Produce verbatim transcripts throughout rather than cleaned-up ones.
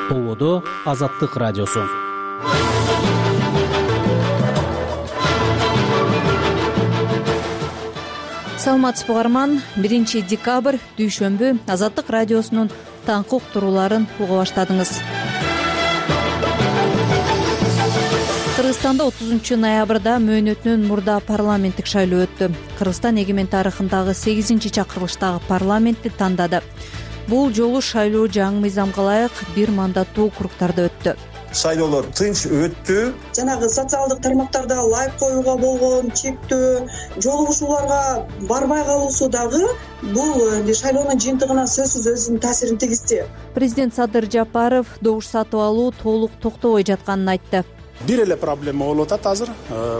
Болодо Азаттык радиосу. Саламатсызбы угарман, биринчи декабрь дүйшөмбү Азаттык радиосунун таңкы уктурууларын уга баштадыңыз. Кыргызстанда отузунчу ноябрда мөөнөтүнөн мурда парламенттик шайлоо өттү. Кыргызстан эгемен тарыхындагы сегизинчи чакырылыштагы парламентти тандады. Бул жолу шайлоо жаңы мыйзамга ылайык бир мандаттуу округдарда өттү. Шайлоолор тынч өттү. Жанагы социалдык тармактарда лайк коюуга болгон чектөө, жолугушууларга барбай калуусу дагы бул шайлоонун жыйынтыгына сөзсүз өзүнүн таасирин тийгизди. Президент Садыр Жапаров добуш сатып алуу толук токтобой жатканын айтты. Бир эле проблема болуп атат азыр.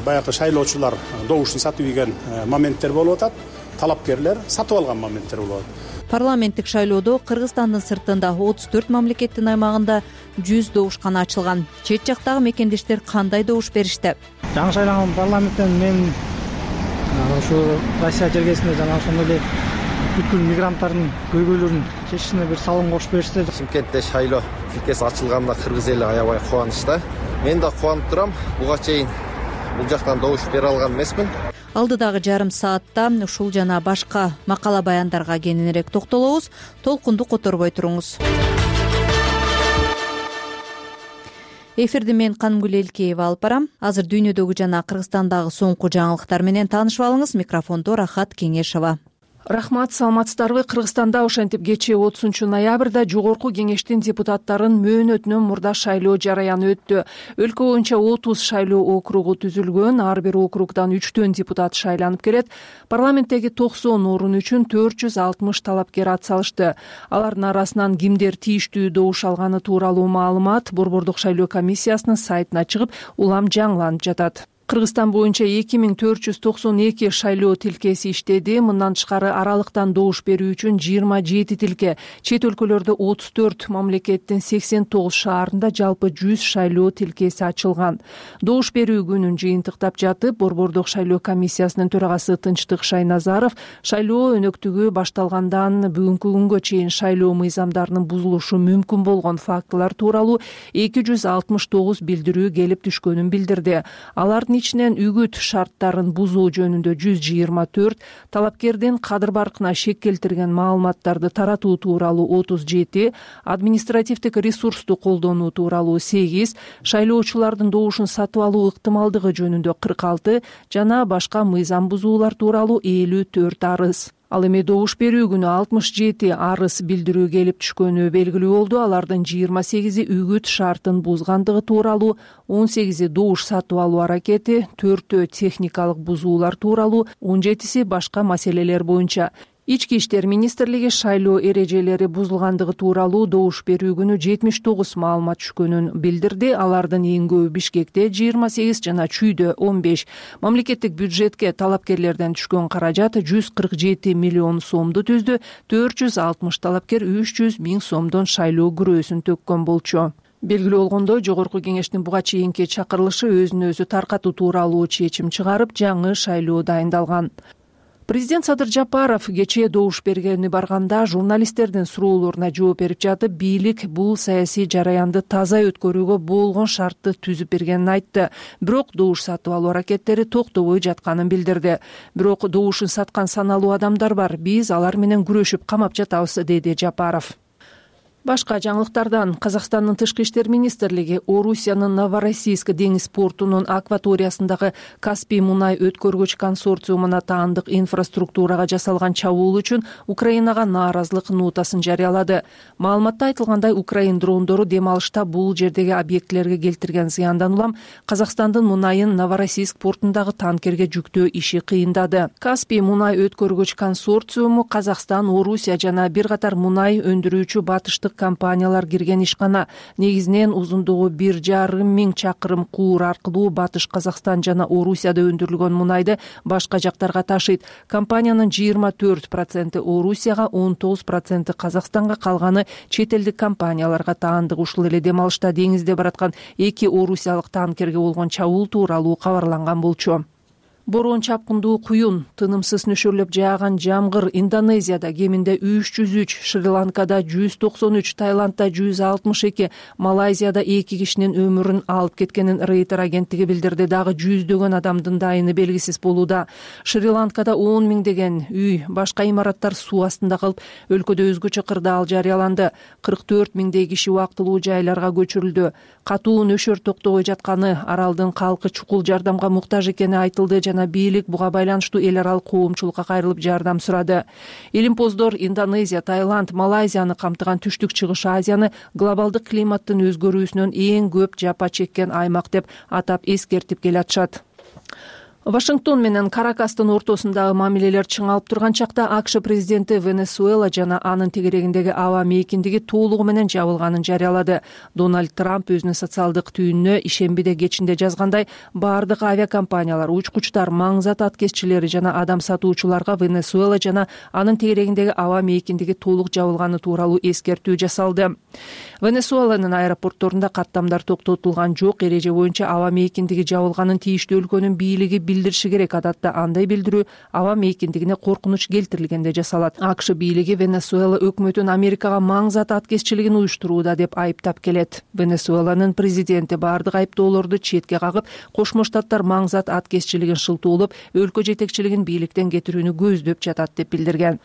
Баягы шайлоочулар добуштун сатып ийген моменттер болуп атат. Талапкерлер сатып алган моменттер болуп атат. Парламенттик шайлоодо Кыргызстандын сыртында отуз төрт мамлекеттин аймагында жүз добушкана ачылган. Чет жактагы мекендештер кандай добуш беришти? Жаңы шайланган парламенттен мен ушу Россия жергесинде жана ошондой эле бүткүл мигранттардын көйгөйлөрүн чечишине бир салым кошуп беришти. Шымкентте шайлоо тилкеси ачылганына кыргыз эли аябай кубанычта. Мен да кубанып турам. Буга чейин бул жактан добуш бере алган эмесмин. Алдыдагы жарым саатта ушул жана башка макала баяндарга кененирээк токтолобуз. Толкунду которбой туруңуз. Эфирди мен Канымгүл Элкеева алып барам. Азыр дүйнөдөгү жана Кыргызстандагы соңку жаңылыктар менен таанышып алыңыз. Микрофондо Рахат Кеңешова. Рахмат, саламатсыздарбы? Кыргызстанда ошентип кечээ отузунчу ноябрда жогорку кеңештин депутаттарын мөөнөтүнөн мурда шайлоо жараяны өттү. Өлкө боюнча отуз шайлоо округу түзүлгөн, ар бир округдан үчтөн депутат шайланып келет. Парламенттеги токсон орун үчүн төрт жүз алтымыш талапкер ат салышты. Алардын арасынан кимдер тийиштүү добуш алганы тууралуу маалымат Борбордук шайлоо комиссиясынын сайтына чыгып, улам жаңыланып жатат. Кыргызстан боюнча эки миң төрт жүз токсон эки шайлоо тилкеси иштеди. Мындан тышкары аралыктан добуш берүү үчүн жыйырма жети тилке, чет өлкөлөрдө отуз төрт мамлекеттин сексен тогуз шаарында жалпы жүз шайлоо тилкеси ачылган. Добуш берүү күнүн жыйынтыктап жатып, Борбордук шайлоо комиссиясынын төрагасы Тынчтык Шайназаров шайлоо өнөктүгү башталгандан бүгүнкү күнгө чейин шайлоо мыйзамдарынын бузулушу мүмкүн болгон фактылар тууралуу эки жүз алтымыш тогуз билдирүү келип түшкөнүн билдирди. Алардын ичинен үгүт шарттарын бузуу жөнүндө жүз жыйырма төрт, талапкердин кадыр баркына шек келтирген маалыматтарды таратуу тууралуу отуз жети, административдик ресурсту колдонуу тууралуу сегиз, шайлоочулардын добушун сатып алуу ыктымалдыгы жөнүндө кырк алты жана башка мыйзам бузуулар тууралуу элүү төрт арыз. Ал эми добуш берүү күнү алтымыш жети арыз билдирүү келип түшкөнү белгилүү болду. Алардын жыйырма сегизи үгүт шартын бузгандыгы тууралуу, он сегизи добуш сатып алуу аракети, төртөө техникалык бузуулар тууралуу, он жетиси башка маселелер боюнча. Ички иштер министрлиги шайлоо эрежелери бузулгандыгы тууралуу добуш берүү күнү жетимиш тогуз маалымат түшкөнүн билдирди. Алардын эң көбү Бишкекте жыйырма сегиз жана Чүйдө он беш. Мамлекеттик бюджетке талапкерлерден түшкөн каражат жүз кырк жети миллион сомду түздү. төрт жүз алтымыш талапкер үч жүз миң сомдон шайлоо күрөөсүн төккөн болчу. Белгилүү болгондой, жогорку кеңештин буга чейинки чакырылышы өзүн өзү таркатуу тууралуу чечим чыгарып, жаңы шайлоо дайындалган. Президент Садыр Жапаров кечээ добуш бергени барганда журналисттердин суроолоруна жооп берип жатып, бийлик бул саясий жараянды таза өткөрүүгө болгон шартты түзүп бергенин айтты. Бирок добуш сатып алуу аракеттери токтобой жатканын билдирди. Бирок добушун саткан саналуу адамдар бар. Биз алар менен күрөшүп камап жатабыз, деди Жапаров. Башка жаңылыктардан Казакстандын тышкы иштер министрлиги Орусиянын Новороссийск деңиз портунун акваториясындагы Каспий мунай өткөргүч консорциумуна таандык инфраструктурага жасалган чабуул үчүн Украинага нааразылык нотасын жарыялады. Маалыматта айтылгандай, Украин дрондору дем алышта бул жердеги объектилерге келтирген зыяндан улам Казакстандын мунайын Новороссийск портундагы танкерге жүктөө иши кыйындады. Каспий мунай өткөргүч консорциуму Казакстан, Орусия жана бир катар мунай өндүрүүчү батыштык компаниялар кирген ишкана. Негизинен узундугу бир жарым миң чакырым куур аркылуу Батыш Казакстан жана Орусияда өндүрүлгөн мунайды башка жактарга ташыйт. Компаниянын жыйырма төрт проценти Орусияга, он тогуз проценти Казакстанга, калганы чет элдик компанияларга таандык. Ушул эле дем алышта деңизде бараткан эки орусиялык танкерге болгон чабуул тууралуу кабарланган болчу. Бороон чапкындуу куюн, тынымсыз нөшөрлөп жааган жамгыр Индонезияда кеминде үч жүз үч, Шри-Ланкада жүз токсон үч, Таиландда жүз алтымыш эки, Малайзияда эки кишинин өмүрүн алып кеткенин Рейтер агенттиги билдирди. Дагы жүздөгөн адамдын дайыны белгисиз болууда. Шри-Ланкада он миңдеген үй, башка имараттар суу астында калып, өлкөдө өзгөчө кырдаал жарыяланды. кырк төрт миңдей киши убактылуу жайларга көчүрүлдү. Катуу нөшөр токтобой жатканы, аралдын калкы чукул жардамга муктаж экени айтылды жана бийлик буга байланыштуу эл аралык коомчулукка кайрылып жардам сурады. Илимпоздор Индонезия, Таиланд, Малайзияны камтыган Түштүк Чыгыш Азияны глобалдык климаттын өзгөрүүсүнөн эң көп жапа чеккен аймак деп атап эскертип келатышат. Вашингтон менен Каракастын ортосундагы мамилелер чыңалып турган чакта АКШ президенти Венесуэла жана анын тегерегиндеги аба мейкиндиги толугу менен жабылганын жарыялады. Дональд Трамп өзүнүн социалдык түйүнүнө ишембиде кечинде жазгандай, бардык авиакомпаниялар, учкучтар, маңзат аткезчилери жана адам сатуучуларга Венесуэла жана анын тегерегиндеги аба мейкиндиги толук жабылганы тууралуу эскертүү жасалды. Венесуэланын аэропортторунда каттамдар токтотулган жок, эреже боюнча аба мейкиндиги жабылганын тийиштүү өлкөнүн бийлиги билдириши керек. Адатта андай билдирүү аба мейкиндигине коркунуч келтирилгенде жасалат. АКШ бийлиги Венесуэла өкмөтүн Америкага маңзат аткезчилигин уюштурууда деп айыптап келет. Венесуэланын президенти бардык айыптоолорду четке кагып, Кошмо Штаттар маңзат аткезчилигин шылтуулап, өлкө жетекчилигин бийликтен кетирүүнү көздөп жатат деп билдирген.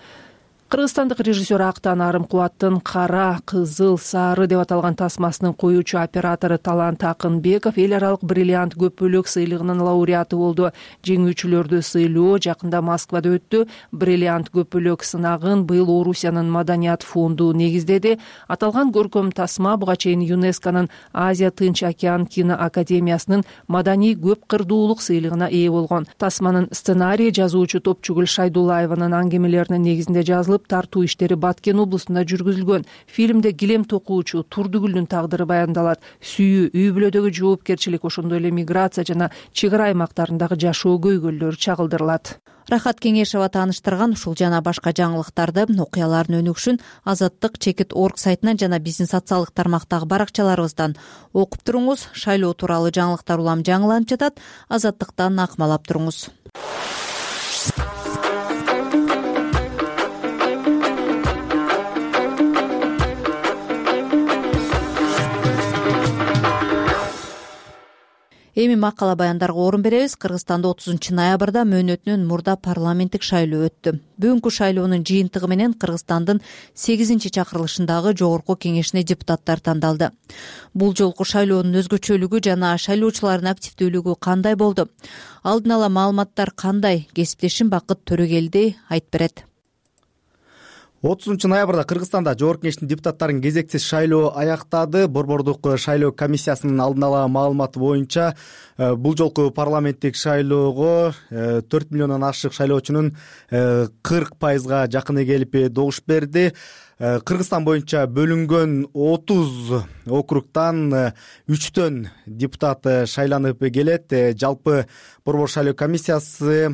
Кыргызстандык режиссер Актан Арым Кубаттын «Кара, кызыл, сары» деп аталган тасмасынын коюучу оператору Талант Акынбеков эл аралык бриллиант көп бөлөк сыйлыгынын лауреаты болду. Жеңүүчүлөрдү сыйлоо жакында Москвада өттү. Бриллиант көп бөлөк сынагын быйыл Орусиянын Маданият фонду негиздеди. Аталган көркөм тасма буга чейин ЮНЕСКОнун Азия Тынч океан кино академиясынын маданий көп кырдуулук сыйлыгына ээ болгон. Тасманын сценарийи жазуучу Топчугүл Шайдуллаеванын аңгемелеринин негизинде жазылып, тартуу иштери Баткен облусунда жүргүзүлгөн. Фильмде килем токуучу Турдугүлдүн тагдыры баяндалат. Сүйүү, үй бүлөдөгү жоопкерчилик, ошондой эле миграция жана чек ара аймактарындагы жашоо көйгөйлөрү чагылдырылат. Рахат Кеңешова тааныштырган ушул жана башка жаңылыктарды, окуялардын өнүгүшүн Азаттык чекит точка орг сайтынан жана биздин социалдык тармактагы баракчаларыбыздан окуп туруңуз. Шайлоо тууралуу жаңылыктар улам жаңыланып жатат. Азаттыктан акмалап туруңуз. Эми макала баяндарга орун беребиз. Кыргызстанда отузунчу ноябрда мөөнөтүнөн мурда парламенттик шайлоо өттү. Бүгүнкү шайлоонун жыйынтыгы менен Кыргызстандын сегизинчи чакырылышындагы жогорку кеңешине депутаттар тандалды. Бул жолку шайлоонун өзгөчөлүгү жана шайлоочулардын активдүүлүгү кандай болду? Алдын ала маалыматтар кандай? Кесиптешим Бакыт Төрөгелди айтып берет. отузунчу ноябрда Кыргызстанда жогорку кеңештин депутаттарын кезексиз шайлоо аяктады. Борбордук шайлоо комиссиясынын алдын ала маалыматы боюнча бул жолку парламенттик шайлоого төрт миллиондон ашык шайлоочунун кырк пайызга жакыны келип добуш берди. Кыргызстан боюнча бөлүнгөн отуз округтан үчтөн депутат шайланып келет. Жалпы борбор шайлоо комиссиясы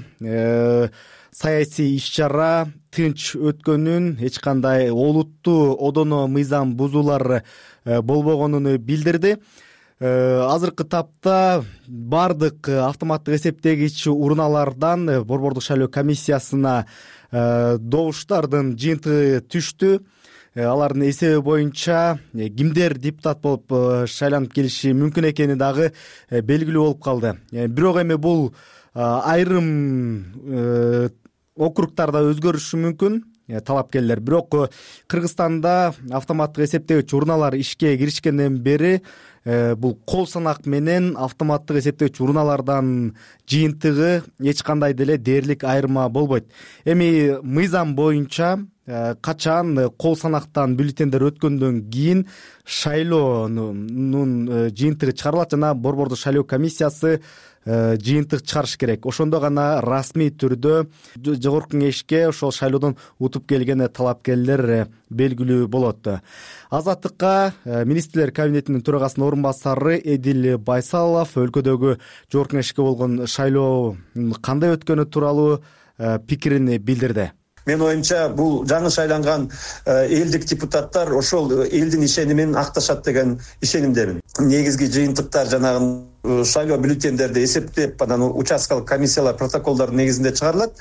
саясий иш-чара тынч өткөнүн, эч кандай олуттуу одоно мыйзам бузуулар болбогонун билдирди. Азыркы тапта бардык автоматтык эсептегич урналардан борбордук шайлоо комиссиясына добуштардын жыйынтыгы түштү. Алардын эсеби боюнча кимдер депутат болуп шайланып келиши мүмкүн экени дагы белгилүү болуп калды. Бирок эми бул айрым округтарда өзгөрүшү мүмкүн талапкерлер. Бирок Кыргызстанда автоматтык эсептегич урналар ишке киришкенден бери бул кол санак менен автоматтык эсептегич урналардан жыйынтыгы эч кандай деле дээрлик айырма болбойт. Эми мыйзам боюнча качан кол санактан бюллетендер өткөндөн кийин шайлоонун жыйынтыгы чыгарылат жана борбордук шайлоо комиссиясы жыйынтык чыгарыш керек. Ошондо гана расмий түрдө жогорку кеңешке ошол шайлоодон утуп келген талапкерлер белгилүү болот. Азаттыкка министрлер кабинетинин төрагасынын орун басары Эдил Байсалов өлкөдөгү жогорку кеңешке болгон шайлоо кандай өткөнү тууралуу пикирин билдирди. Мен оюмча бул жаңы шайланган элдик депутаттар ошол элдин ишенимин акташат деген ишенимдемин. Негизги жыйынтыктар жанагы шайлоо бюллетендерди эсептеп анан участкалык комиссиялар протоколдордун негизинде чыгарылат.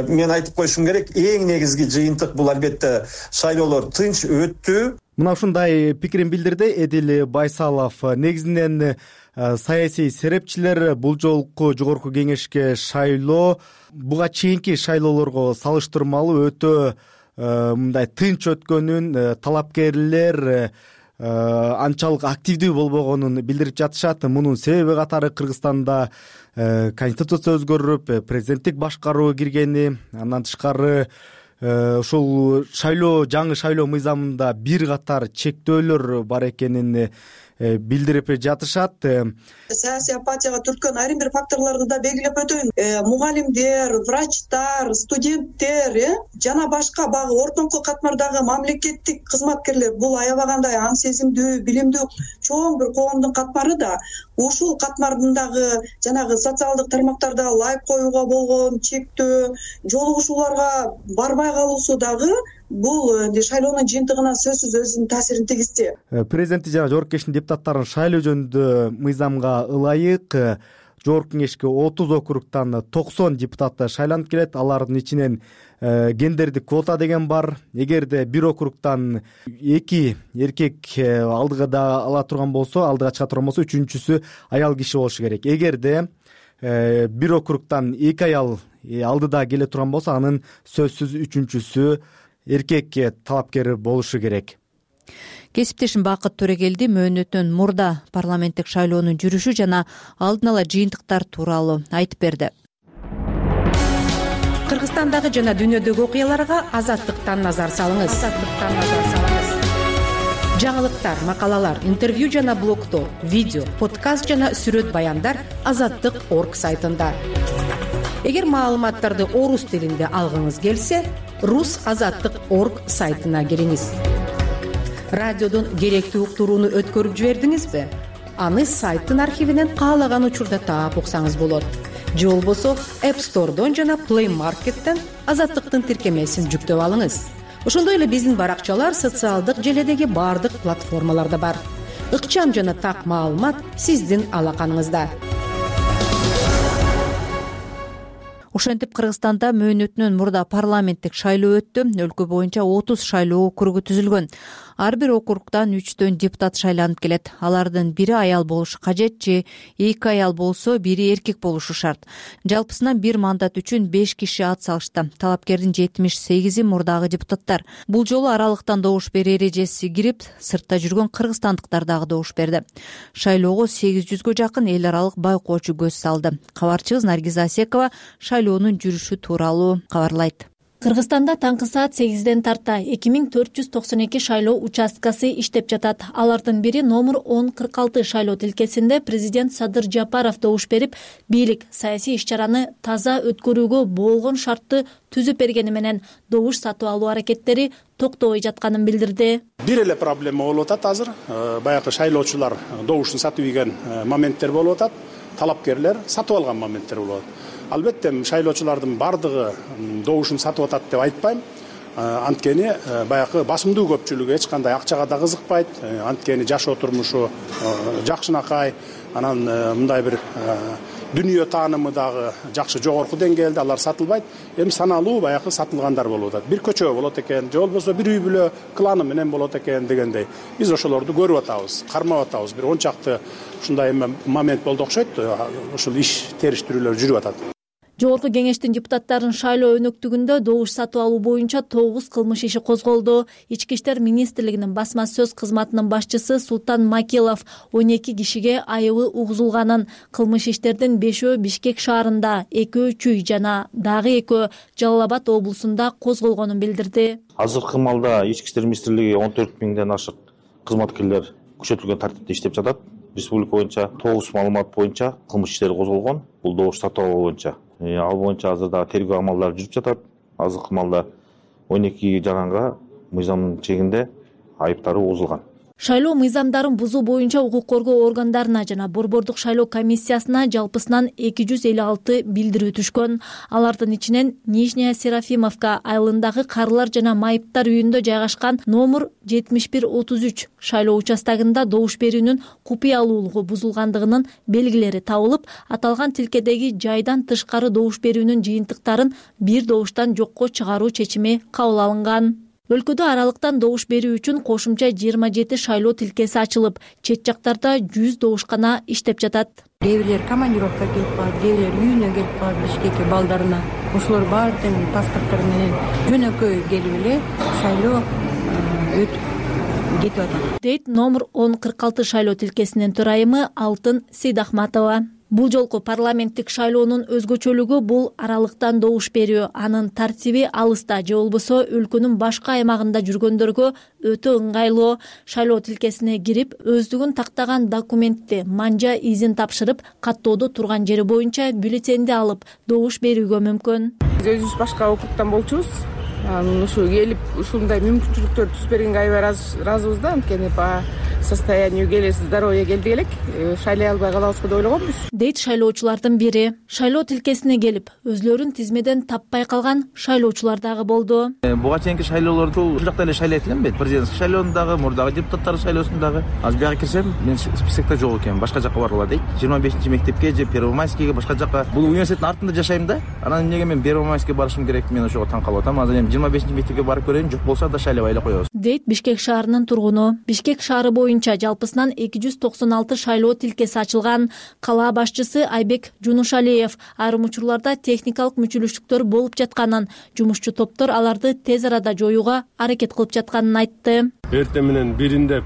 Мен айтып коюшум керек, эң негизги жыйынтык бул албетте шайлоолор тынч өттү. Мына ушундай пикирин билдирди Эдил Байсалов. Негизинен саясий серепчилер бул жолку жогорку кеңешке шайлоо буга чейинки шайлоолорго салыштырмалуу өтө мындай тынч өткөнүн, талапкерлер анчалык активдүү болбогонун билдирип жатышат. Мунун себеби катары Кыргызстанда конституция өзгөрүп, президенттик башкаруу киргени, андан тышкары ушул шайлоо жаңы шайлоо мыйзамында бир катар чектөөлөр бар экенин билдирип жатышат. Саясий апатияга түрткөн айрым бир факторлорду да белгилеп өтөйүн. Мугалимдер, врачтар, студенттер жана башка багы ортоңку катмардагы мамлекеттик кызматкерлер бул аябагандай аң сезимдүү, билимдүү чоң бир коомдун катмары да ушул катмардагы жанагы социалдык тармактарда лайк коюуга болгон чектөө, жолугушууларга барбай калуусу дагы бул шайлоонун жыйынтыгына сөзсүз өзүнүн таасирин тийгизди. Президенти жана жогорку кеңештин депутаттарын шайлоо жөнүндө мыйзамга ылайык жогорку кеңешке отуз округтан токсон депутат шайланып келет. Алардын ичинен гендердик квота деген бар. Эгерде бир округтан эки эркек алдыга ала турган болсо, алдыга чыга турган болсо, үчүнчүсү аял киши болушу керек. Эгерде бир округтан эки аял алдыда келе турган болсо, анын сөзсүз үчүнчүсү эркек талапкер болушу керек. Кесиптешим Бакыт Төрегелди мөөнөтүнөн мурда парламенттик шайлоонун жүрүшү жана алдын ала жыйынтыктар тууралуу айтып берди. Кыргызстандагы жана дүйнөдөгү окуяларга Азаттыктан назар салыңыз. Азаттыктан назар салыңыз. Жаңылыктар, макалалар, интервью жана блогдор, видео, подкаст жана сүрөт баяндар азаттык точка орг сайтында. Эгер маалыматтарды орус тилинде алгыңыз келсе, рус азаттык точка орг сайтына кириңиз. Радиодон керектүү уктурууну өткөрүп жибердиңизби? Аны сайттын архивинен каалаган учурда таап уксаңыз болот. Же болбосо App Store'дон жана Play Market'тен Азаттыктын тиркемесин жүктөп алыңыз. Ошондой эле биздин баракчалар социалдык желедеги бардык платформаларда бар. Ыкчам жана так маалымат сиздин алаканыңызда. Ошентип Кыргызстанда мөөнөтүнөн мурда парламенттик шайлоо өттү. Өлкө боюнча отуз шайлоо округу түзүлгөн. Ар бир округдан үчтөн депутат шайланып келет. Алардын бири аял болушу кажет же эки аял болсо бири эркек болушу шарт. Жалпысынан бир мандат үчүн беш киши ат салышты. Талапкердин жетимиш сегизи мурдагы депутаттар. Бул жолу аралыктан добуш берүү эрежеси кирип, сыртта жүргөн кыргызстандыктар дагы добуш берди. Шайлоого сегиз жүзгө жакын эл аралык байкоочу көз салды. Кабарчыбыз Наргиз Асекова шайлоонун жүрүшү тууралуу кабарлайт. Кыргызстанда таңкы саат сегизден тарта эки миң төрт жүз токсон эки шайлоо участкасы иштеп жатат. Алардын бири номер он кырк алты шайлоо тилкесинде президент Садыр Жапаров добуш берип, бийлик саясий иш-чараны таза өткөрүүгө болгон шартты түзүп бергени менен добуш сатып алуу аракеттери токтобой жатканын билдирди. Бир эле проблема болуп атат азыр. Баягы шайлоочулар добушун сатып ийген моменттер болуп атат. Талапкерлер сатып алган моменттер болуп атат. Албетте шайлоочулардын бардыгы добушун сатып атат деп айтпайм. Анткени баягы басымдуу көпчүлүгү эч кандай акчага да кызыкпайт. Анткени жашоо турмушу жакшынакай, анан мындай бир дүйнө таанымы дагы жакшы жогорку деңгээлде, алар сатылбайт. Эми саналуу баягы сатылгандар болуп атат. Бир көчө болот экен, же болбосо бир үй бүлө кланы менен болот экен дегендей. Биз ошолорду көрүп атабыз, кармап атабыз. Бир он чакты ушундай момент болду окшойт. Ушул иш териштирүүлөр жүрүп атат. Жогорку кеңештин депутаттарын шайлоо өнөктүгүндө добуш сатып алуу боюнча тогуз кылмыш иши козголду. Ички иштер министрлигинин басма сөз кызматынын башчысы Султан Макилов он эки кишиге айыбы угузулганын, кылмыш иштердин бешөө Бишкек шаарында, экөө Чүй жана дагы экөө Жалал Абад облусунда козголгонун билдирди. Азыркы маалда ички иштер министрлиги он төрт миңден ашык кызматкерлер күчөтүлгөн тартипте иштеп жатат. Республика боюнча тогуз маалымат боюнча кылмыш иштери козголгон. Бул добуш сатып алуу боюнча. Ал боюнча азырда тергөө амалдары жүрүп жатат. Азыркы маалда он эки жаранга мыйзамдын чегинде айыптары угузулган. Шайлоо мыйзамдарын бузуу боюнча укук коргоо органдарына жана борбордук шайлоо комиссиясына жалпысынан эки жүз элүү алты билдирүү түшкөн. Алардын ичинен Нижняя Серафимовка айылындагы карылар жана майыптар үйүндө жайгашкан номер жетимиш бир отуз үч шайлоо участогунда добуш берүүнүн купуялуулугу бузулгандыгынын белгилери табылып, аталган тилкедеги жайдан тышкары добуш берүүнүн жыйынтыктарын бир добуштан жокко чыгаруу чечими кабыл алынган. Өлкөдө аралыктан добуш берүү үчүн кошумча жыйырма жети шайлоо тилкеси ачылып, чет жактарда жүз добушкана иштеп жатат. Кээ бирлер командировка келип калат, кээ бирлер үйүнө келип калат, Бишкекке балдарына. Ошолор баары тең паспорттор менен жөнөкөй келип эле шайлоо өтүп кетип атат, дейт номер он кырк алты шайлоо тилкесинин төрайымы Алтын Сейдахматова. Бул жолку парламенттик шайлоонун өзгөчөлүгү бул аралыктан добуш берүү. Анын тартиби алыста же болбосо өлкөнүн башка аймагында жүргөндөргө өтө ыңгайлуу. Шайлоо тилкесине кирип, өздүгүн тактаган документти, манжа изин тапшырып, каттоодо турган жери боюнча бюллетенди алып, добуш берүүгө мүмкүн. Биз өзүбүз башка округдан болчубуз. Анан ушу келип, ушундай мүмкүнчүлүктөр түз бергенге аябай ыраазыбыз да. Анткени по состоянию келе здоровья келди элек, шайлай албай калабызбы деп ойлогонбуз, дейт шайлоочулардын бири. Шайлоо тилкесине келип, өзлөрүн тизмеден таппай калган шайлоочулар дагы болду. Буга чейинки шайлоолорду ушул жакта эле шайлайт элем бет. Президенттик шайлоосундагы, мурдагы депутаттардын шайлоосундагы. Азыр бияка кирсем, мен списокто жок экенмин, башка жакка баргыла дейт. жыйырма бешинчи мектепке же Первомайскийге, башка жакка. Бул университеттин артында жашайм да. Анан эмнеге мен Первомайскийге барышым керек? Мен ошого таң калып атам. Азыр эми жыйырма бешинчи мектепке барып көрөйүн, жок болсо да шайлабай эле коебуз, дейт Бишкек шаарынын тургуну. Бишкек шаары боюнча жалпысынан эки жүз токсон алты шайлоо тилкеси ачылган. Кала башчысы Айбек Жунушалиев айрым учурларда техникалык мүчүлүштүктөр болуп жатканын, жумушчу топтор аларды тез арада жоюуга аракет кылып жатканын айтты. Эртең менен биринде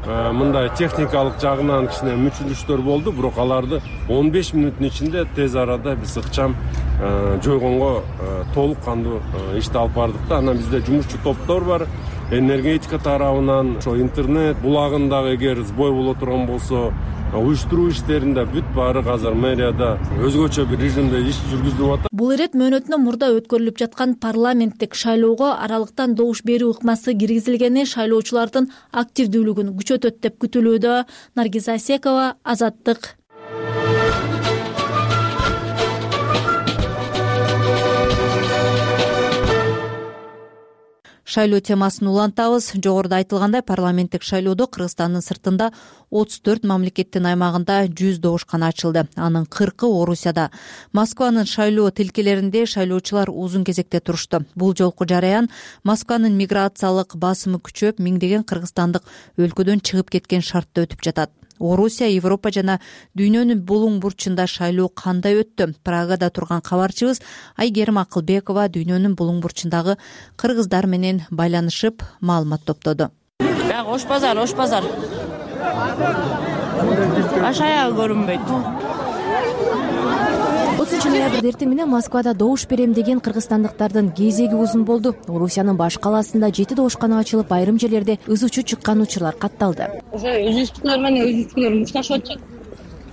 мындай техникалык жагынан кичине мүчүлүштөр болду, бирок аларды он беш мүнөттүн ичинде тез арада биз ыкчам жойгонго толук кандуу ишти алып бардык да. Анан бизде жумушчу топтор бар. Энергетика тарабынан, ошо интернет булагындагы эгер сбой боло турган болсо, уюштуруу иштеринде бүт баары азыр мэрияда өзгөчө бир режимде иш жүргүзүлүп атат. Бул ирет мөөнөтүнөн мурда өткөрүлүп жаткан парламенттик шайлоого аралыктан добуш берүү ыкмасы киргизилгени шайлоочулардын активдүүлүгүн күчөтөт деп күтүлүүдө. Наргиза Асекова, Азаттык. Шайлоо темасын улантабыз. Жогоруда айтылгандай, парламенттик шайлоодо Кыргызстандын сыртында отуз төрт мамлекеттин аймагында жүз добушкана ачылды. Анын кыркы Орусияда. Москванын шайлоо тилкелеринде шайлоочулар узун кезекте турушту. Бул жолку жараян Москванын миграциялык басымы күчөп, миңдеген кыргызстандык өлкөдөн чыгып кеткен шартта өтүп жатат. Орусия, Европа жана дүйнөнүн булуң бурчунда шайлоо кандай өттү? Прагада турган кабарчыбыз Айгерим Акылбекова дүйнөнүн булуң бурчундагы кыргыздар менен байланышып, маалымат топтоду. Бак ош базар, ош базар. Баш аягы көрүнбөйт. отузунчу ноябрда эртең менен Москвада добуш берем деген кыргызстандыктардын кезеги узун болду. Орусиянын баш калаасында жети добушкана ачылып, айрым жерлерде ыз учу чыккан учурлар катталды. Уже өзүбүздүкүлөр менен өзүбүздүкүлөр мушташып атышат.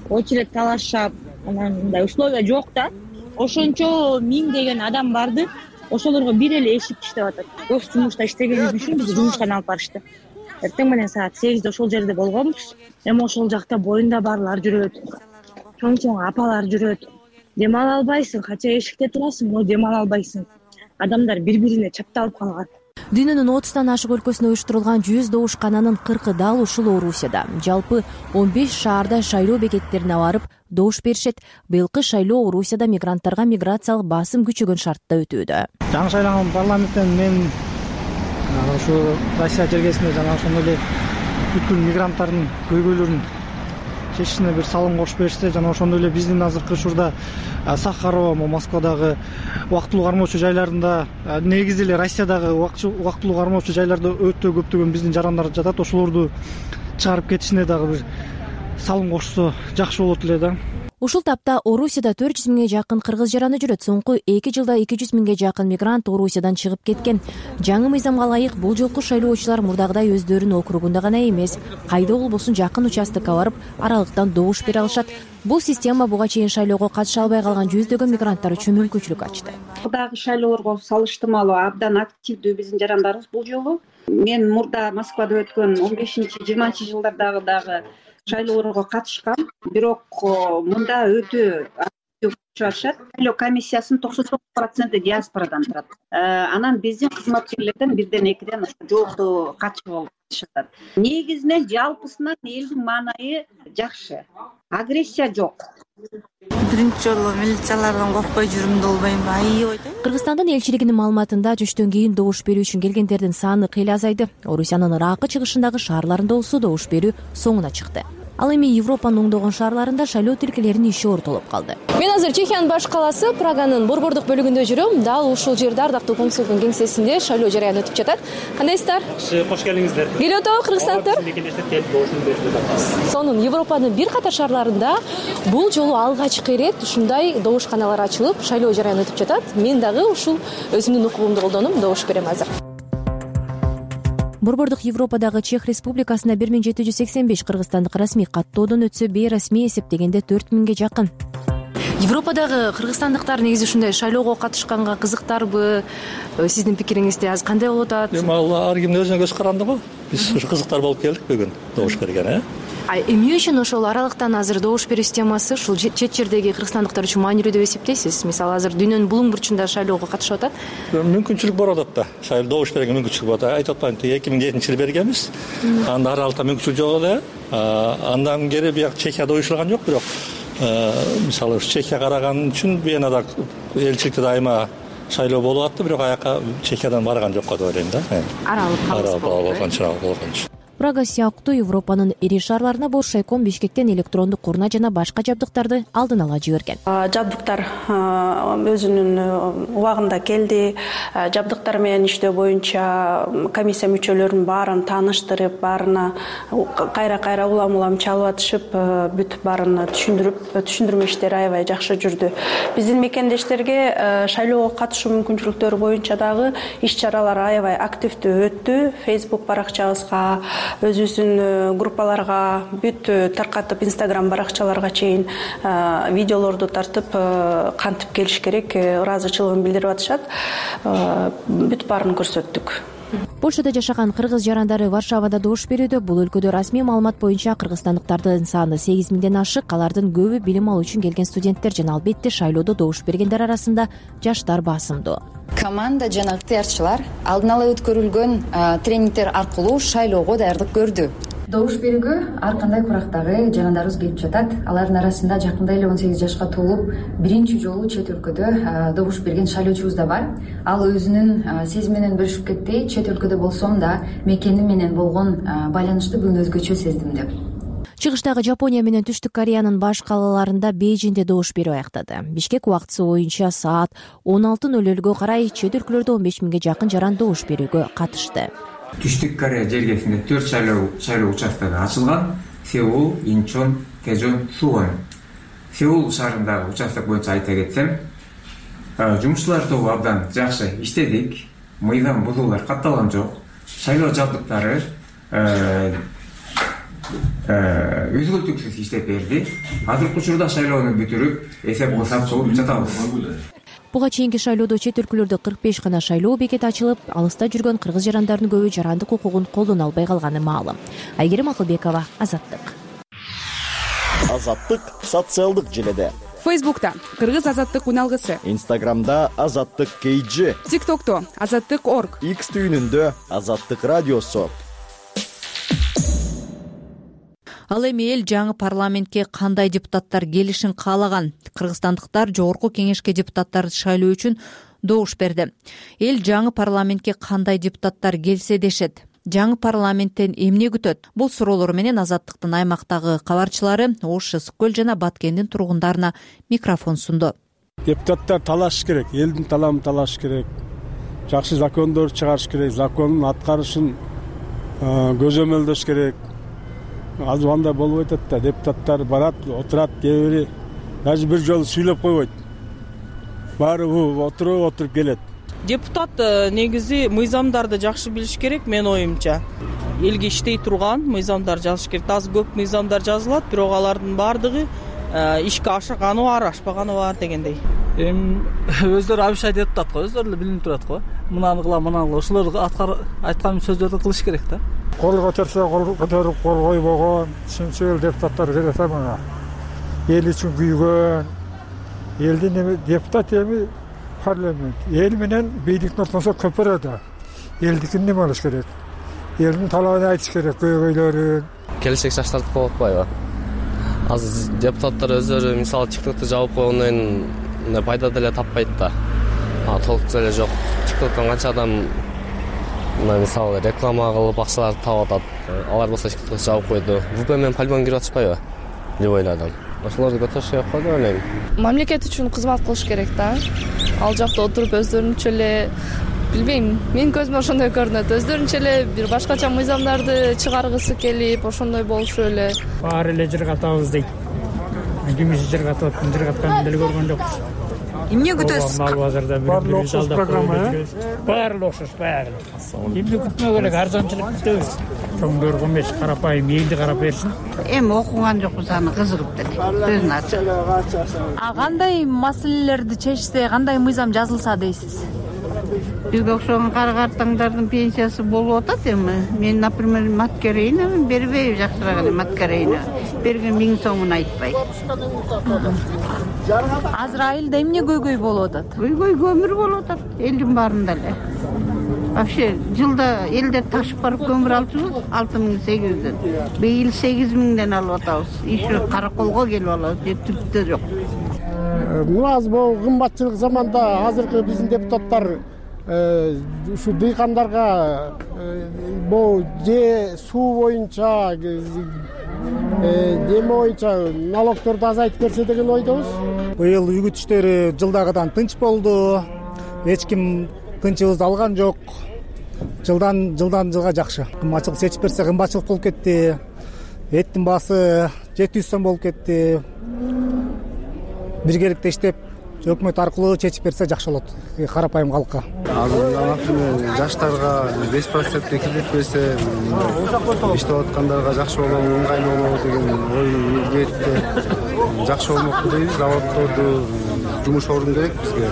Очередь талашып, анан мындай условия жок да. Ошончо миңдеген адам барды. Ошолорго бир эле эшик иштеп атат. Көз жумушта иштегенибиз үчүн бизди жумуштан алып барышты. Эртең менен саат сегизде ошол жерде болгонбуз. Эми ошол жакта боюнда барлар жүрөт. Чоң-чоң апалар жүрөт. Дем ала албайсың, кача эшикте турасың, но дем ала албайсың. Адамдар бири-бирине чапталып калган. Дүйнөнүн отуздан ашык өлкөсүнө уюштурулган жүз добушкананын кыркы дал ушул Орусияда. Жалпы он беш шаарда шайлоо бекеттерине барып добуш беришет. Быйылкы шайлоо Орусияда мигранттарга миграциялык басым күчөгөн шартта өтүүдө. Жаңы шайланган парламенттен мен ушу Россия жергесинде жана ошондой эле бүткүл мигранттардын көйгөйлөрүн чечишине бир салым кошуп беришсе, жана ошондой эле биздин азыркы учурда Сахарова, Москвадагы убактылуу кармоочу жайларында, негизи эле Россиядагы убактылуу кармоочу жайларда өтө көптөгөн биздин жарандар жатат. Ошолорду чыгарып кетишине дагы бир салым кошсо жакшы болот эле да. Ушул тапта Орусияда төрт жүз миңге жакын кыргыз жараны жүрөт. Соңку эки жылда эки жүз миңге жакын мигрант Орусиядан чыгып кеткен. Жаңы мыйзамга ылайык бул жолку шайлоочулар мурдагыдай өздөрүнүн округунда гана эмес, кайда болбосун жакын участокко барып, аралыктан добуш бере алышат. Бул система буга чейин шайлоого катыша албай калган жүздөгөн мигранттар үчүн мүмкүнчүлүк ачты. Мурдагы шайлоолорго салыштырмалуу абдан активдүү биздин жарандарыбыз бул жолу. мен мурда Москвада өткөн он бешинчи жыйырманчы жылдардагы дагы шайлоолорго катышкам, бирок мында өтө чыгышат. Шайлоо комиссиясынын токсон тогуз проценти диаспорадан турат. Анан биздин кызматкерлерден бирден экиден жоготу катышып атышат. Негизинен жалпысынан элдин маанайы жакшы. Агрессия жок. Биринчи жолу милициялардан коркпой жүрүмдү болбоймбу? Аябай. Кыргызстандын элчилигинин маалыматында түштөн кийин добуш берүү үчүн келгендердин саны кыйла азайды. Орусиянын Ракы чыгышындагы шаарларында болсо добуш берүү соңуна чыкты. Ал эми Европанын оңдогон шаарларында шайлоо тилкелеринин иши ортолуп калды. Мен азыр Чехиянын баш калаасы Праганын борбордук бөлүгүндө жүрөм. Дал ушул жерде ардактуу консулдун кеңсесинде шайлоо жарыяны өтүп жатат. Кандайсыздар? Кош келиңиздер. Келип атабы Кыргызстандыктар? Сонун Европанын бир катар шаарларында бул жолу алгачкы ирет ушундай добушканалар ачылып, шайлоо жарыяны өтүп жатат. Мен дагы ушул өзүмдүн укугумду колдонуп добуш берем азыр. Борбордук Европадагы Чех Республикасына бир миң жети жүз сексен беш кыргызстандык расмий каттоодон өтсө, бейрасмий эсептегенде төрт миңге жакын. Европадагы кыргызстандыктар негизи ушундай шайлоого катышканга кызыктарбы? Сиздин пикириңизде азыр кандай болуп атат? Эми ал ар кимдин өзүнө көз каранды го. Биз ушу кызыктар болуп келдик бүгүн добуш берген, э? А эмне үчүн ошол аралыктан азыр добуш берүү системасы ушул чет жердеги кыргызстандыктар үчүн маанилүү деп эсептейсиз? Мисалы азыр дүйнөнүн булуң бурчунда шайлоого катышып атат. Мүмкүнчүлүк бар атат да. Шайлоо добуш берген мүмкүнчүлүк бар. Айтып атпаймынбы, эки миң жетинчи жылы бергенбиз. Анда аралыкта мүмкүнчүлүк жок эле. Андан кери бияк Чехияда уюштурулган жок, бирок мисалы Чехияга караган үчүн Венада элчиликте дайыма шайлоо болуп атты, бирок аяка Чехиядан барган жокко деп ойлойм да. Аралык калыс болгон. Прага сыяктуу Европанын ири шаарларына Боршайком Бишкектен электрондук урна жана башка жабдыктарды алдын ала жиберген. Жабдыктар өзүнүн убагында келди. Жабдыктар менен иштөө боюнча комиссия мүчөлөрүнүн баарын тааныштырып, баарына кайра-кайра улам-улам чалып атышып, бүт баарын түшүндүрүп, түшүндүрмө иштери аябай жакшы жүрдү. Биздин мекендештерге шайлоого катышуу мүмкүнчүлүктөрү боюнча дагы иш-чаралар аябай активдүү өттү. Facebook баракчабызга, өзүбүздүн группаларга, бүт таркатып Instagram баракчаларга чейин видеолорду тартып, кантип келиш керек, ыраазычылыгын билдирип атышат. Бүт баарын көрсөттүк. Польшада жашаган кыргыз жарандары Варшавада добуш берүүдө. Бул өлкөдө расмий маалымат боюнча кыргызстандыктардын саны сегиз миңден ашык. Алардын көбү билим алуу үчүн келген студенттер жана албетте шайлоодо добуш бергендер арасында жаштар басымдуу. Команда жана ыктыярчылар алдын ала өткөрүлгөн тренингдер аркылуу шайлоого даярдык көрдү. Добуш берүүгө ар кандай курактагы жарандарыбыз келип жатат. Алардын арасында жакында эле он сегиз жашка толуп, биринчи жолу чет өлкөдө добуш берген шайлоочубуз да бар. Ал өзүнүн сезиминен бөлүшүп кетти. Чет өлкөдө болсом да мекеним менен болгон байланышты бүгүн өзгөчө сездим деп. Чыгыштагы Жапония менен Түштүк Кореянын баш калаларында Бейжиңде добуш берүү аяктады. Бишкек убактысы боюнча саат он алты ноль нольго карай чет өлкөлөрдө он беш миңге жакын жаран добуш берүүгө катышты. Түштүк Корея жергесинде төрт шайлоо шайлоо участокту ачылган: Сеул, Инчон, Тэжон, Сувон. Сеул шаарындагы участок боюнча айта кетсем, жумушчулар тобу абдан жакшы иштедик. Мыйзам бузуулар катталган жок. Шайлоо жабдыктары өзгөлтүксүз иштеп берди. Азыркы учурда шайлоону бүтүрүп, эсеп кылсак кылып жатабыз. Буга чейинки шайлоодо чет өлкөлөрдө кырк беш гана шайлоо бекети ачылып, алыста жүргөн кыргыз жарандарынын көбү жарандык укугун колдоно албай калганы маалым. Айгерим Акылбекова, Азаттык. Азаттык социалдык желеде. Фейсбукта Кыргыз Азаттык уналгысы, Инстаграмда Азаттык кейджи, ТикТокто Азаттык точка орг, X түйүнүндө Азаттык радиосу. Ал эми эл жаңы парламентке кандай депутаттар келишин каалаган? Кыргызстандыктар жогорку кеңешке депутаттарды шайлоо үчүн добуш берди. Эл жаңы парламентке кандай депутаттар келсе дешет? Жаңы парламенттен эмне күтөт? Бул суроолор менен Азаттыктын аймактагы кабарчылары Ош, Ысык көл жана Баткендин тургундарына микрофон сунду. Депутаттар талаш керек, элдин талабын талаш керек. Жакшы закондор чыгарыш керек, закондун аткарышын көзөмөлдөш керек. Азыр андай болуп атат да, депутаттар барат, отурат, кээ бири даже бир жолу сүйлөп койбойт. Баары отуруп отуруп келет. Депутат негизи мыйзамдарды жакшы билиш керек, мен оюмча. Элге иштей турган мыйзамдар жазыш керек. Аз көп мыйзамдар жазылат, бирок алардын баардыгы ишке ашырганы бар, ашпаганы бар дегендей. эми өздөрү обещать этип атат го, өздөрү эле билинип турат го. Мынаны кылам, мынаны кылам. Ошолор айткан сөздөрдү кылыш керек да. Кол көтөрсө кол көтөрүп, кол койбогон чынчыл депутаттар келет мына. Эл үчүн күйгөн, элдин эми депутат эми парламент. Эл менен бийликтин ортосунда көпөрө да. Элдикин неме кылыш керек? Элдин талабын айтыш керек, көйгөйлөрүн. Келечек жаштарды кол атпайбы? Азыр депутаттар өздөрү мисалы тиктокту жабып койгондон кийин пайда деле таппайт да. А толук эле жок. Тиктоктон канча адам мына мисалы реклама кылып акчаларды таап атат. Алар болсо тиктокты жабып койду. ВП менен полигон кирип атышпайбы? Деп ойлодум. Ошолорду көтөрүш керек го деп ойлойм. Мамлекет үчүн кызмат кылыш керек да. Ал жакта отуруп өздөрүнчө эле билбейм, менин көзүмө ошондой көрүнөт. Өздөрүнчө эле бир башкача мыйзамдарды чыгаргысы келип, ошондой болушу эле. Баары эле жыргатабыз дейт. Кимиси жыргатып атат, жыргатканын деле көргөн жокпуз. Эмне күтөсүз? Мал базарда бир окшош программа, э? Баары окшош, баары. Эмне күтмөө керек, арзанчылык күтөбүз. Чоңдорго эмес, карапайым элди карап берсин. Эми окуган жокпуз, аны кызыгып деле. Сөзүн ачып. А кандай маселелерди чечсе, кандай мыйзам жазылса дейсиз? Бизге окшогон кара картаңдардын пенсиясы болуп атат эми. Мен, например, маткерейна бербейм, жакшыраак эле маткерейна. Берген миң сомун айтпай. Азыр айылда эмне көйгөй болуп атат? Көйгөй көмүр болуп атат, элдин баарында эле. Вообще жылда элдер ташып барып көмүр алчубуз алты миң сегиз жүздөн. Быйыл сегиз миңден алып атабыз. Еще караколго келип алабыз, же түрктө жок. Мына бул кымбатчылык заманда азыркы биздин депутаттар ушу дыйкандарга бул же суу боюнча неме боюнча налогторду азайтып берсе деген ойдобуз. Быйыл үгүт иштери жылдагыдан тынч болду. Эч ким тынчыбызды алган жок. Жылдан жылдан жылга жакшы. Кымбатчылык чечип берсе кымбатчылык болуп кетти. Эттин баасы жети жүз сом болуп кетти. Биргеликте иштеп өкмөт аркылуу чечип берсе жакшы болот карапайым калкка. Азыр жаштарга беш процентке кредит берсе, иштеп аткандарга жакшы болот, ыңгайлуу болот деген ой ниетте жакшы болмокпу дейбиз. Заводдорду жумуш орун керек бизге.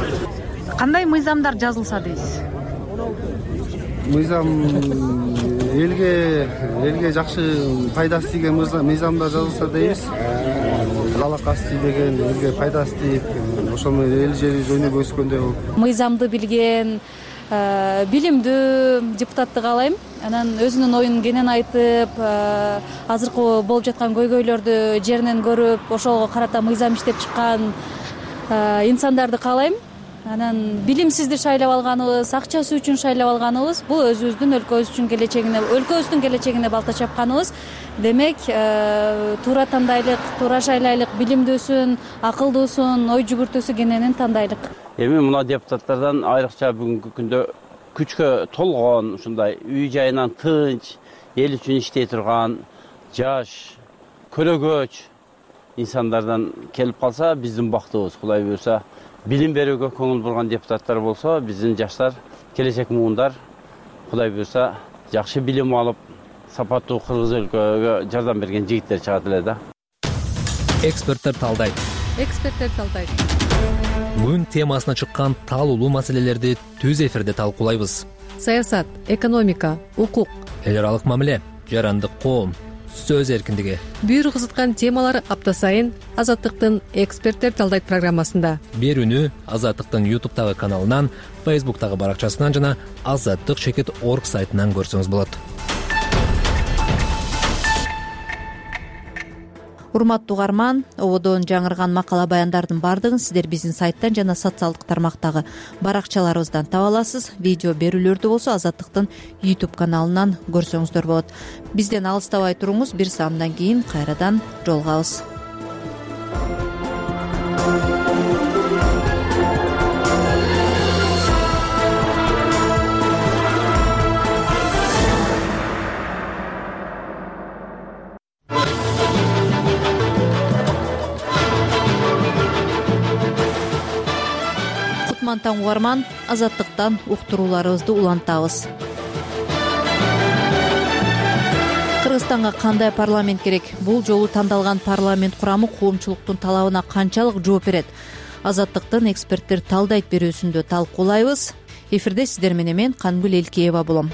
Кандай мыйзамдар жазылса дейсиз? Мыйзам элге элге жакшы пайдасы тийген мыйзамдар жазылса дейбиз. Залакасы тийбеген, элге пайдасы тийип, ошону эл жери жөнүгө өскөндөй болуп. Мыйзамды билген, билимдүү депутатты каалайм. Анан өзүнүн оюн кенен айтып, азыркы болуп жаткан көйгөйлөрдү жеринен көрүп, ошого карата мыйзам иштеп чыккан инсандарды каалайм. Анан билимсизди шайлап алганыбыз, акчасы үчүн шайлап алганыбыз бул өзүбүздүн өлкөбүз үчүн келечегине, өлкөбүздүн келечегине балта чапканыбыз. Демек, туура тандайлык, туура шайлайлык, билимдүүсүн, акылдуусун, ой жүгүртүүсү кененин тандайлык. Эми мына депутаттардан айрыкча бүгүнкү күндө күчкө толгон, ушундай үй жайынан тынч, эл үчүн иштей турган, жаш, көрөгөч инсандардан келип калса биздин бактыбыз. Кудай буйрса, билим берүүгө көңүл бурган депутаттар болсо, биздин жаштар, келечек муундар Кудай буйрса жакшы билим алып, сапаттуу кыргыз өлкөгө жардам берген жигиттер чыгат эле да. Эксперттер талдайт. Эксперттер талдайт. Күн темасына чыккан талуулуу маселелерди түз эфирде талкуулайбыз. Саясат, экономика, укук, эл аралык мамиле, жарандык коом, сөз эркиндиги. Бир кызыткан темалар апта сайын Азаттыктын Эксперттер талдайт программасында. Берүүнү Азаттыктын ютубтагы каналынан, фейсбуктагы баракчасынан жана азаттык чекит орг сайтынан көрсөңүз болот. Урматтуу угарман, ободон жаңырган макала баяндардын баардыгын сиздер биздин сайттан жана социалдык тармактагы баракчаларыбыздан таба аласыз. Видео берүүлөрдү болсо Азаттыктын YouTube каналынан көрсөңүздөр болот. Бизден алыстабай туруңуз, бир саамдан кийин кайрадан жолугабыз. Таң угарман, Азаттыктан уктурууларыбызды улантабыз. Кыргызстанга кандай парламент керек? Бул жолу тандалган парламент курамы коомчулуктун талабына канчалык жооп берет? Азаттыктын эксперттер талдайт берүүсүндө талкуулайбыз. Эфирде сиздер менен мен Канбул Элкеева болом.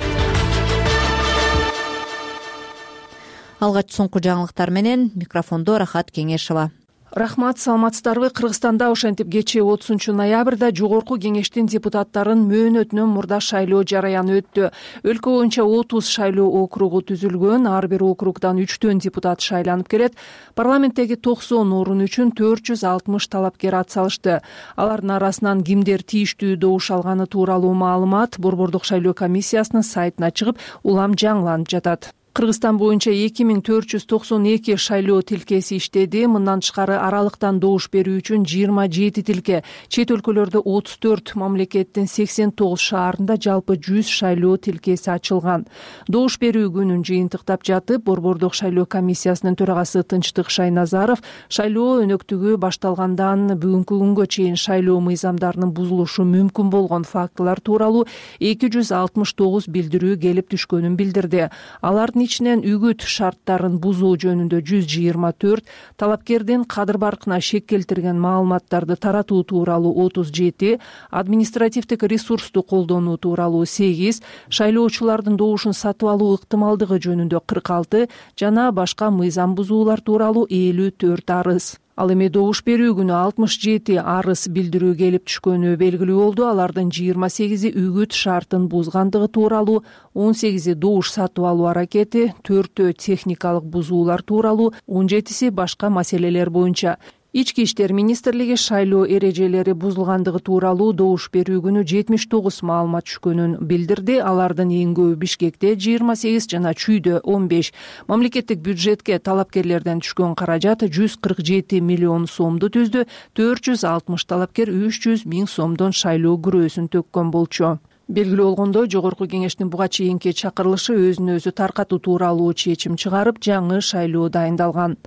Алгач соңку жаңылыктар менен микрофондо Рахат Кеңешова. Рахмат, саламатсыздарбы? Кыргызстанда ошентип кечээ отузунчу ноябрда жогорку кеңештин депутаттарын мөөнөтүнөн мурда шайлоо жараяны өттү. Өлкө боюнча отуз шайлоо округу түзүлгөн, ар бир округдан үчтөн депутат шайланып келет. Парламенттеги токсон орун үчүн төрт жүз алтымыш талапкер ат салышты. Алардын арасынан кимдер тийиштүү добуш алганы тууралуу маалымат Борбордук шайлоо комиссиясынын сайтына чыгып, улам жаңыланып жатат. Кыргызстан боюнча эки миң төрт жүз токсон эки шайлоо тилкеси иштеди. Мындан тышкары аралыктан добуш берүү үчүн жыйырма жети тилке, чет өлкөлөрдө отуз төрт, мамлекеттин сексен тогуз шаарында жалпы жүз шайлоо тилкеси ачылган. Добуш берүү күнүн жыйынтыктап жатып, Борбордук шайлоо комиссиясынын төрагасы Тынчтык Шайназаров шайлоо өнөктүгү башталгандан бүгүнкү күнгө чейин шайлоо мыйзамдарынын бузулушу мүмкүн болгон фактылар тууралуу эки жүз алтымыш тогуз билдирүү келип түшкөнүн билдирди. Алардын ичинен үгүт шарттарын бузуу жөнүндө жүз жыйырма төрт, талапкердин кадыр баркына шек келтирген маалыматтарды таратуу тууралуу отуз жети, административдик ресурсту колдонуу тууралуу сегиз, шайлоочулардын добушун сатып алуу ыктымалдыгы жөнүндө кырк алты жана башка мыйзам бузуулар тууралуу элүү төрт арыз. Ал эми добуш берүү күнү алтымыш жети арыз билдирүү келип түшкөнү белгилүү болду. Алардын жыйырма сегизи үгүт шартын бузгандыгы тууралуу, он сегизи добуш сатып алуу аракети, төртөө техникалык бузуулар тууралуу, он жетиси башка маселелер боюнча. Ички иштер министрлиги шайлоо эрежелери бузулгандыгы тууралуу добуш берүү күнү жетимиш тогуз маалымат түшкөнүн билдирди. Алардын эң көбү Бишкекте жыйырма сегиз жана Чүйдө он беш. Мамлекеттик бюджетке талапкерлерден түшкөн каражат жүз кырк жети миллион сомду түздү. төрт жүз алтымыш талапкер үч жүз миң сомдон шайлоо күрөөсүн төккөн болчу. Белгилүү болгондой, жогорку кеңештин буга чейинки чакырылышы өзүн өзү таркатуу тууралуу чечим чыгарып, жаңы шайлоо дайындалган.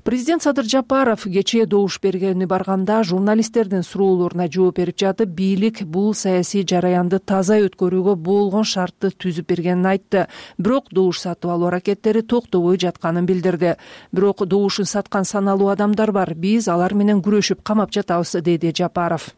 Президент Садыр Жапаров кечээ добуш бергени барганда журналисттердин суроолоруна жооп берип жатып, бийлик бул саясий жараянды таза өткөрүүгө болгон шартты түзүп бергенин айтты. Бирок добуш сатып алуу аракеттери токтобой жатканын билдирди. Бирок добушун саткан саналуу адамдар бар. Биз алар менен күрөшүп камап жатабыз, деди Жапаров.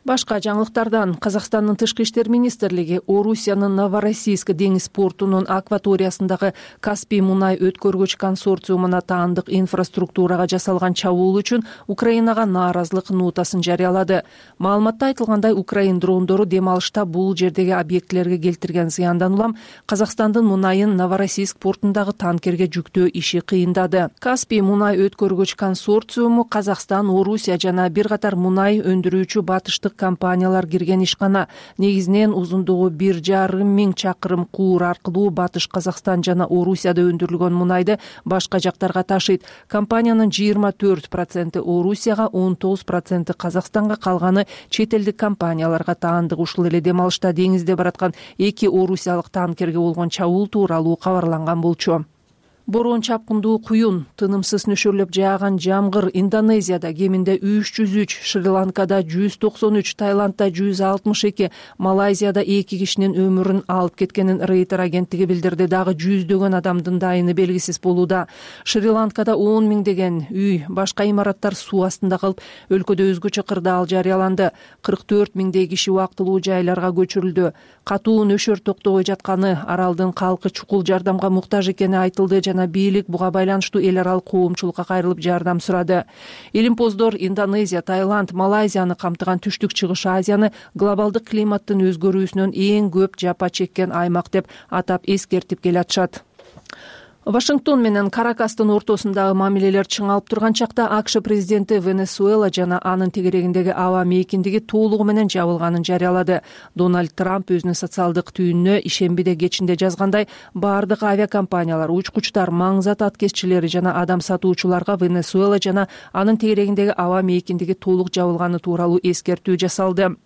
Башка жаңылыктардан Казакстандын тышкы иштер министрлиги Орусиянын Новороссийск деңиз портунун акваториясындагы Каспий мунай өткөргүч консорциумуна таандык инфраструктурага жасалган чабуул үчүн Украинага нааразылык нотасын жарыялады. Маалыматта айтылгандай, Украин дрондору дем алышта бул жердеги объектилерге келтирген зыяндан улам Казакстандын мунайын Новороссийск портундагы танкерге жүктөө иши кыйындады. Каспий мунай өткөргүч консорциуму Казакстан, Орусия жана бир катар мунай өндүрүүчү батыштык компаниялар кирген ишкана. Негизинен узундугу бир жарым миң чакырым куур аркылуу Батыш Казакстан жана Орусияда өндүрүлгөн мунайды башка жактарга ташыйт. Компаниянын жыйырма төрт проценти Орусияга, он тогуз проценти Казакстанга, калганы чет элдик компанияларга таандык. Ушул эле дем алышта деңизде бараткан эки орусиялык танкерге болгон чабуул тууралуу кабарланган болчу. Борон чапкындуу куюн, тынымсыз нөшөрлөп жааган жамгыр Индонезияда кеминде үч жүз үч, Шри-Ланкада жүз токсон үч, Таиландда жүз алтымыш эки, Малайзияда эки кишинин өмүрүн алып кеткенин Рейтер агенттиги билдирди. Дагы жүздөгөн адамдын дайыны белгисиз болууда. Шри-Ланкада он миңдеген үй, башка имараттар суу астында калып, өлкөдө өзгөчө кырдаал жарыяланды. кырк төрт миңдей киши убактылуу жайларга көчүрүлдү. Катуу нөшөр токтобой жатканы, аралдын калкы чукул жардамга муктаж экени айтылды жана бийлик буга байланыштуу эл аралык коомчулукка кайрылып жардам сурады. Илимпоздор Индонезия, Таиланд, Малайзияны камтыган Түштүк Чыгыш Азияны глобалдык климаттын өзгөрүүсүнөн эң көп жапа чеккен аймак деп атап эскертип келатышат. Вашингтон менен Каракастын ортосундагы мамилелер чыңалып турган чакта АКШ президенти Венесуэла жана анын тегерегиндеги аба мейкиндиги толугу менен жабылганын жарыялады. Дональд Трамп өзүнүн социалдык түйүнүнө ишембиде кечинде жазгандай, бардык авиакомпаниялар, учкучтар, маңзат аткезчилери жана адам сатуучуларга Венесуэла жана анын тегерегиндеги аба мейкиндиги толук жабылганы тууралуу эскертүү жасалды.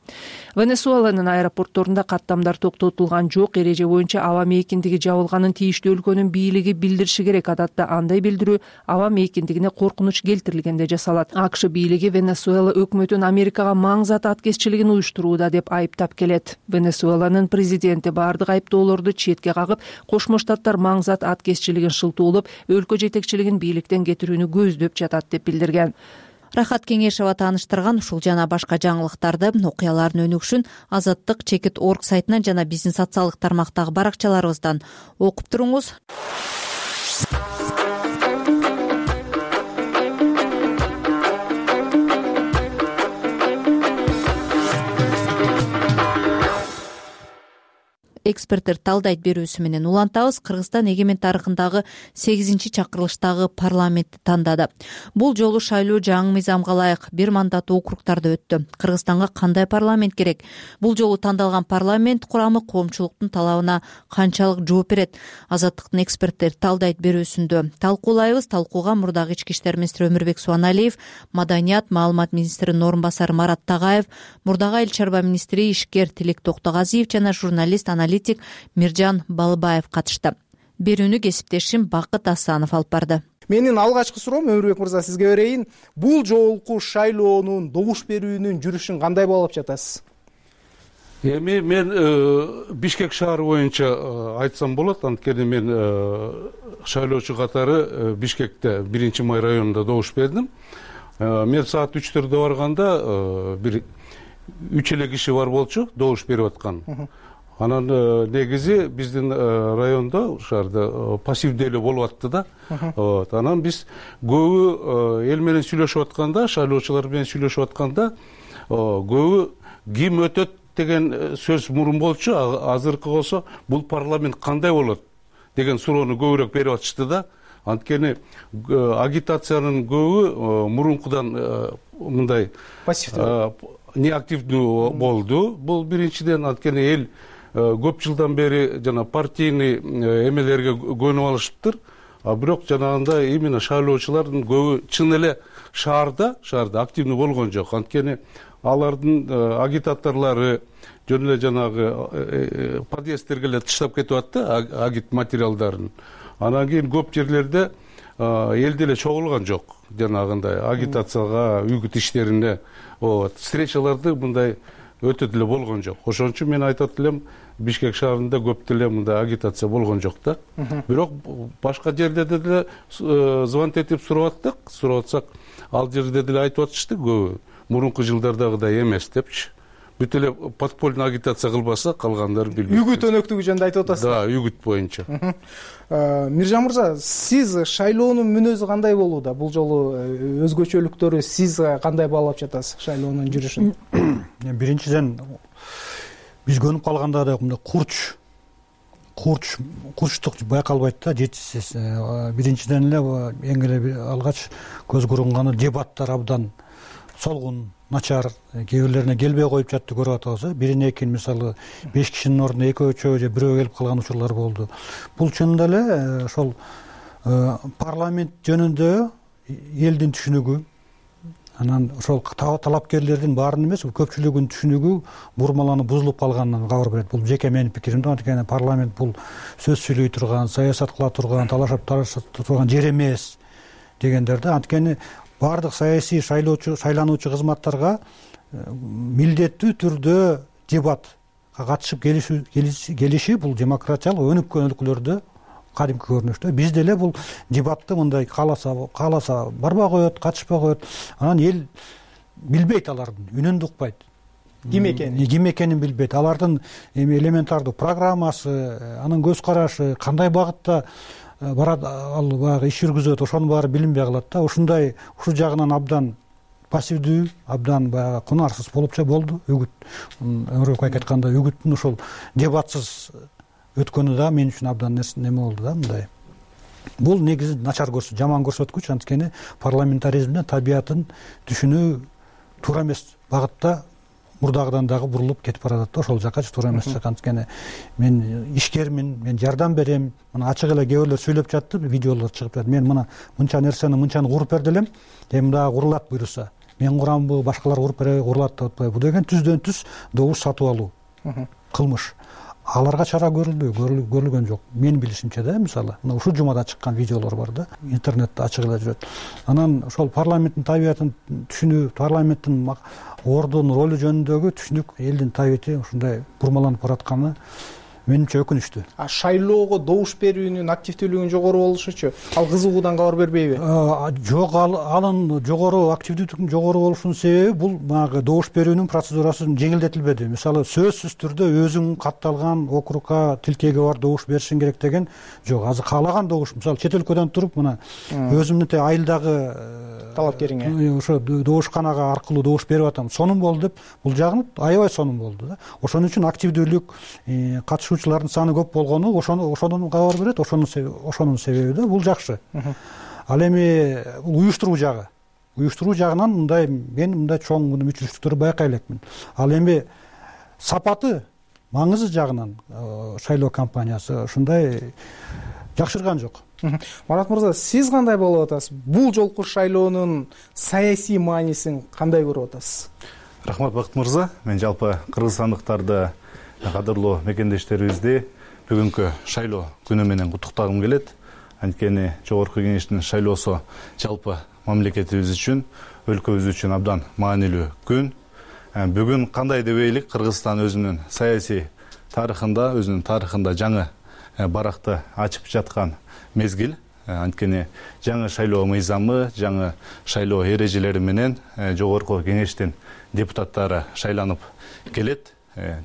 Венесуэланын аэропортторунда каттамдар токтотулган жок. Эреже боюнча аба мейкиндиги жабылганын тийиштүү өлкөнүн бийлиги билдириши керек. Адатта андай билдирүү аба мейкиндигине коркунуч келтирилгенде жасалат. АКШ бийлиги Венесуэла өкмөтүн Америкага маңзат аткезчилигин уюштурууда деп айыптап келет. Венесуэланын президенти бардык айыптоолорду четке кагып, Кошмо Штаттар маңзат аткезчилигин шылтоолоп, өлкө жетекчилигин бийликтен кетирүүнү көздөп жатат деп билдирген. Рахат Кеңешова тааныштырган ушул жана башка жаңылыктарды, окуялардын өнүгүшүн Азаттык чекит орг сайтынан жана биздин социалдык тармактагы баракчаларыбыздан окуп туруңуз. Эксперттер талдайт берүүсү менен улантабыз. Кыргызстан эгемендик тарыхындагы сегизинчи чакырылыштагы парламентти тандады. Бул жолу шайлоо жаңы мыйзамга ылайык бир мандаттуу округдарда өттү. Кыргызстанга кандай парламент керек? Бул жолу тандалган парламент курамы коомчулуктун талабына канчалык жооп берет? Азаттыктын эксперттер талдайт берүүсүндө талкуулайбыз. Талкууга мурдагы ички иштер министри Өмүрбек Суаналиев, маданият, маалымат министринин орун басары Марат Тагаев, мурдагы айыл чарба министри ишкер Тилек Токтогазиев жана журналист аналитик Миржан Балыбаев катышты. Берүүнү кесиптешим Бакыт Асанов алып барды. Менин алгачкы суроом Өмүрбек мырза сизге берейин. Бул жолку шайлоонун, добуш берүүнүн жүрүшүн кандай баалап жатасыз? Эми мен Бишкек шаары боюнча айтсам болот. Анткени мен шайлоочу катары Бишкекте биринчи май районунда добуш бердим. Мен саат үчтөрдө барганда бир үч эле киши бар болчу добуш берип аткан. Анан негизи биздин райондо шаарда пассивдүү эле болуп атты да. Анан биз көбү эл менен сүйлөшүп атканда, шайлоочулар менен сүйлөшүп атканда көбү ким өтөт деген сөз мурун болчу. Азыркы болсо бул парламент кандай болот деген суроону көбүрөөк берип атышты да. Анткени агитациянын көбү мурункудан мындай неактивдүү болду. Бул биринчиден, анткени эл көп жылдан бери жана партийный эмелерге көнүп алышыптыр. А бирок жанагындай именно шайлоочулардын көбү чын эле шаарда, шаарда активдүү болгон жок. Анткени алардын агитаторлору жөн эле жанагы подъездтерге эле таштап кетип атты агит материалдарын. Анан кийин көп жерлерде эл деле чогулган жок жанагындай агитацияга, үгүт иштерине, встречаларды мындай өтө деле болгон жок. Ошон үчүн мен айтат элем, Бишкек шаарында көп деле мындай агитация болгон жок да. Бирок башка жерлерде деле звонок этип сурап аттык, сурап атсак, ал жерде деле айтып атышты көбү. Мурунку жылдардагыдай эмес депчи. Бүт эле подпольный агитация кылбаса, калгандары билбейт. Үгүт өнөктүгү жөнүндө айтып атасыз. Да, үгүт боюнча. Миржан мырза, сиз шайлоонун мүнөзү кандай болууда? Бул жолу өзгөчөлүктөрү сиз кандай баалап жатасыз шайлоонун жүрүшүн? Биринчиден биз көнүп калганда да мындай курч курч курчтук байкалбайт да, жетишсиз. Биринчиден эле эң эле алгач көз көрүнгөнү дебаттар абдан солгун, начар, кээ бирлерине келбей коюп жатты көрүп атабыз. Бирине экин мисалы беш кишинин ордуна экөө же бирөө келип калган учурлар болду. Бул чынында эле ошол парламент жөнүндө элдин түшүнүгү, анан ошол талапкерлердин баарынын эмес, көпчүлүгүнүн түшүнүгү бурмаланып бузулуп калганынан кабар берет. Бул жеке менин пикирим да. Анткени парламент бул сөз сүйлөй турган, саясат кыла турган, талашып тарашып турган жер эмес дегендер да. Анткени баардык саясий шайлоочу, шайлануучу кызматтарга милдеттүү түрдө дебатка катышып келиши бул демократиялык өнүккөн өлкөлөрдө кадимки көрүнүштө. Бизде эле бул дебатты мындай кааласа, кааласа барбай коет, катышпай коет. Анан эл билбейт, алардын үнүн укпайт. Ким экенин? Ким экенин билбейт. Алардын эми элементардуу программасы, анын көз карашы, кандай багытта барат, ал баягы иш жүргүзөт, ошонун баары билинбей калат да. Ушундай, ушул жагынан абдан пассивдүү, абдан баягы кунарсыз болупча болду. Үгүт, Өмүрбек байке айткандай, үгүттүн ошол дебатсыз өткөнү да мен үчүн абдан неме болду да, мындай. Бул негизи начар көрсөткүч, жаман көрсөткүч. Анткени парламентаризмдин табиятын түшүнүү туура эмес багытта мурдагыдан дагы бурулуп кетип баратат да. Ошол жакка туура эмес жак. Анткени мен ишкермин, мен жардам берем. Мына ачык эле кээ бирлер сүйлөп жатты, видеолор чыгып жатат. Мен мына мынча нерсени мынчаны куруп берди элем. Эми дагы курулат буйруса. Мен курамбы, башкалар куруп береби, курулат деп атпайбы. Бул деген түздөн түз добуш сатып алуу. Кылмыш. Аларга чара көрүлдү, көрүлгөн жок. Мен билишимче да, мисалы, мына ушул жумада чыккан видеолор бар да, интернетте ачык эле жүрөт. Анан ошол парламенттин табиятын түшүнүү, парламенттин ордунун ролу жөнүндөгү түшүнүк, элдин табияты ушундай бурмаланып баратканы менимче өкүнүчтүү. А шайлоого добуш берүүнүн активдүүлүгүнүн жогору болушучу ал кызыгуудан кабар бербейби? Жок, анын жогору активдүүлүктүн жогору болушунун себеби бул баягы добуш берүүнүн процедурасы жеңилдетилбеди. Мисалы сөзсүз түрдө өзүң катталган округга тилкеги бар добуш беришиң керек деген жок. Азыр каалаган добуш, мисалы чет өлкөдөн туруп мына өзүмдүн айылдагы талапкериңе ошо добушканага аркылуу добуш берип атам, сонун болду деп, бул жагын аябай сонун болду да. Ошон үчүн активдүүлүк, катышуучулардын саны көп болгону ошону ошондон кабар берет, ошонун ошонун себеби да, бул жакшы. Ал эми уюштуруу жагы, уюштуруу жагынан мындай мен мындай чоң мүчүлүштүктөрдү байкай элекмин. Ал эми сапаты, маңызы жагынан шайлоо кампаниясы ушундай жакшырган жок. Марат мырза, сиз кандай болуп атасыз? Бул жолку шайлоонун саясий маанисин кандай көрүп атасыз? Рахмат, Бакыт мырза. Мен жалпы кыргызстандыктарды, кадырлуу мекендештерибизди бүгүнкү шайлоо күнү менен куттуктагым келет. Анткени жогорку кеңештин шайлоосу жалпы мамлекетибиз үчүн, өлкөбүз үчүн абдан маанилүү күн. Бүгүн кандай дебейлик, Кыргызстан өзүнүн саясий тарыхында, өзүнүн тарыхында жаңы баракты ачып жаткан мезгил. Анткени жаңы шайлоо мыйзамы, жаңы шайлоо эрежелери менен жогорку кеңештин депутаттары шайланып келет.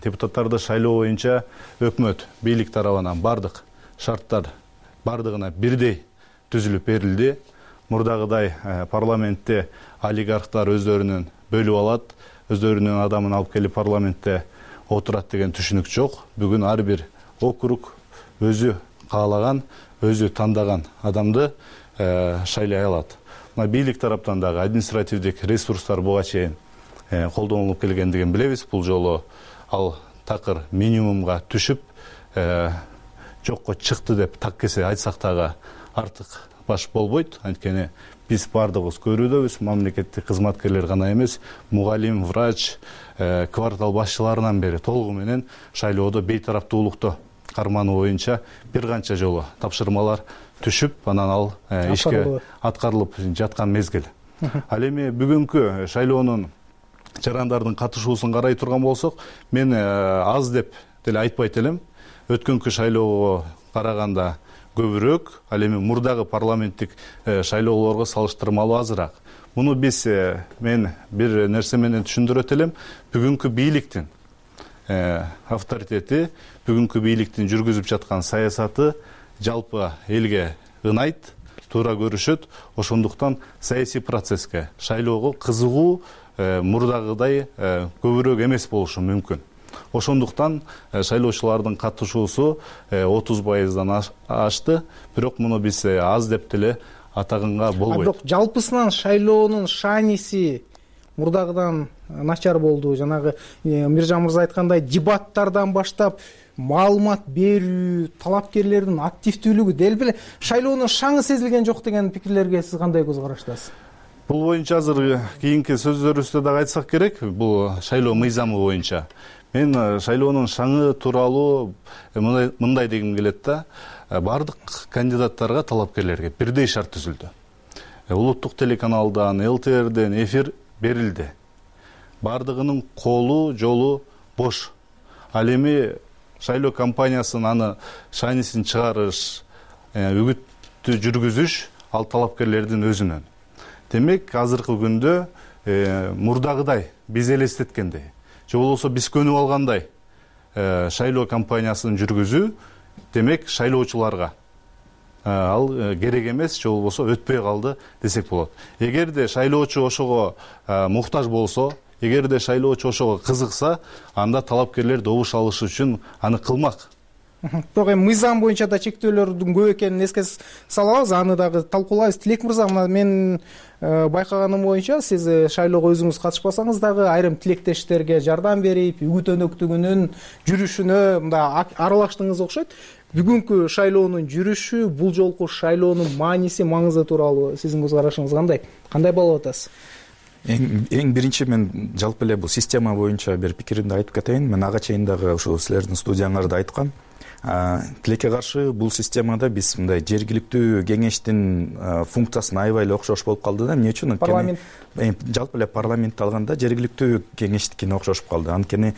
Депутаттарды шайлоо боюнча өкмөт, бийлик тарабынан бардык шарттар бардыгына бирдей түзүлүп берилди. Мурдагыдай парламентте олигархтар өздөрүнүн бөлүп алат, өздөрүнүн адамын алып келип парламентте отурат деген түшүнүк жок. Бүгүн ар бир округ өзү каалаган, өзү тандаган адамды шайлай алат. Мына бийлик тараптан дагы административдик ресурстар буга чейин колдонулуп келгендигин билебиз. Бул жолу ал такыр минимумга түшүп жокко чыкты деп так кесе айтсак дагы артык баш болбойт. Анткени биз бардыгыбыз көрүүдөбүз, мамлекеттик кызматкерлер гана эмес, мугалим, врач, квартал башчыларынан бери толугу менен шайлоодо бейтараптуулукту кармануу боюнча бир канча жолу тапшырмалар түшүп, анан ал ишке аткарылып жаткан мезгил. Ал эми бүгүнкү шайлоонун жарандардын катышуусун карай турган болсок, мен аз деп деле айтпайт элем. Өткөнкү шайлоого караганда көбүрөөк, ал эми мурдагы парламенттик шайлоолорго салыштырмалуу азыраак. Муну биз мен бир нерсе менен түшүндүрөт элем. Бүгүнкү бийликтин авторитети, бүгүнкү бийликтин жүргүзүп жаткан саясаты жалпы элге ынайт, туура көрүшөт. Ошондуктан саясий процесске, шайлоого кызыгуу мурдагыдай көбүрөөк эмес болушу мүмкүн. Ошондуктан шайлоочулардын катышуусу отуз пайыздан ашты, бирок муну биз аз деп деле атаганга болбойт. Бирок жалпысынан шайлоонун шааниси мурдагыдан начар болду. Жанагы Миржан мырза айткандай, дебаттардан баштап маалымат берүү, талапкерлердин активдүүлүгү дел беле шайлоонун шаңы сезилген жок деген пикирлерге сиз кандай көз караштасыз? Бул боюнча азыр кийинки сөздөрүбүздө дагы айтсак керек, бул шайлоо мыйзамы боюнча. Мен шайлоонун шаңы тууралуу мындай дегим келет да, бардык кандидаттарга, талапкерлерге бирдей шарт түзүлдү. Улуттук телеканалдан, эл тэ эрден эфир берилди. Бардыгынын колу, жолу бош. Ал эми шайлоо кампаниясын аны шаанисин чыгарыш, үгүттү жүргүзүш ал талапкерлердин өзүнөн. Демек, азыркы күндө мурдагыдай биз элестеткендей, же болбосо биз көнүп алгандай шайлоо кампаниясын жүргүзүү, демек шайлоочуларга ал керек эмес, же болбосо өтпөй калды десек болот. Эгерде шайлоочу ошого муктаж болсо, эгерде шайлоочу ошого кызыкса, анда талапкерлер добуш алыш үчүн аны кылмак. Бирок эми мыйзам боюнча да чектөөлөрдүн көп экенин эске салабыз, аны дагы талкуулайбыз. Тилек мырза, мына мен байкаганым боюнча сиз шайлоого өзүңүз катышпасаңыз дагы айрым тилектештерге жардам берип, үгүт өнөктүгүнүн жүрүшүнө мындай аралаштыңыз окшойт. Бүгүнкү шайлоонун жүрүшү, бул жолку шайлоонун мааниси, маңызы тууралуу сиздин көз карашыңыз кандай? Кандай болуп атасыз? Эң, эң биринчи мен жалпы эле бул система боюнча бир пикиримди айтып кетейин. Мен ага чейин дагы ушул силердин студияңарда айткам. тилекке каршы бул системада биз мындай жергиликтүү кеңештин функциясын аябай эле окшош болуп калды да. Эмне үчүн? Парламент жалпы эле парламентти алганда жергиликтүү кеңештикине окшошуп калды. Анткени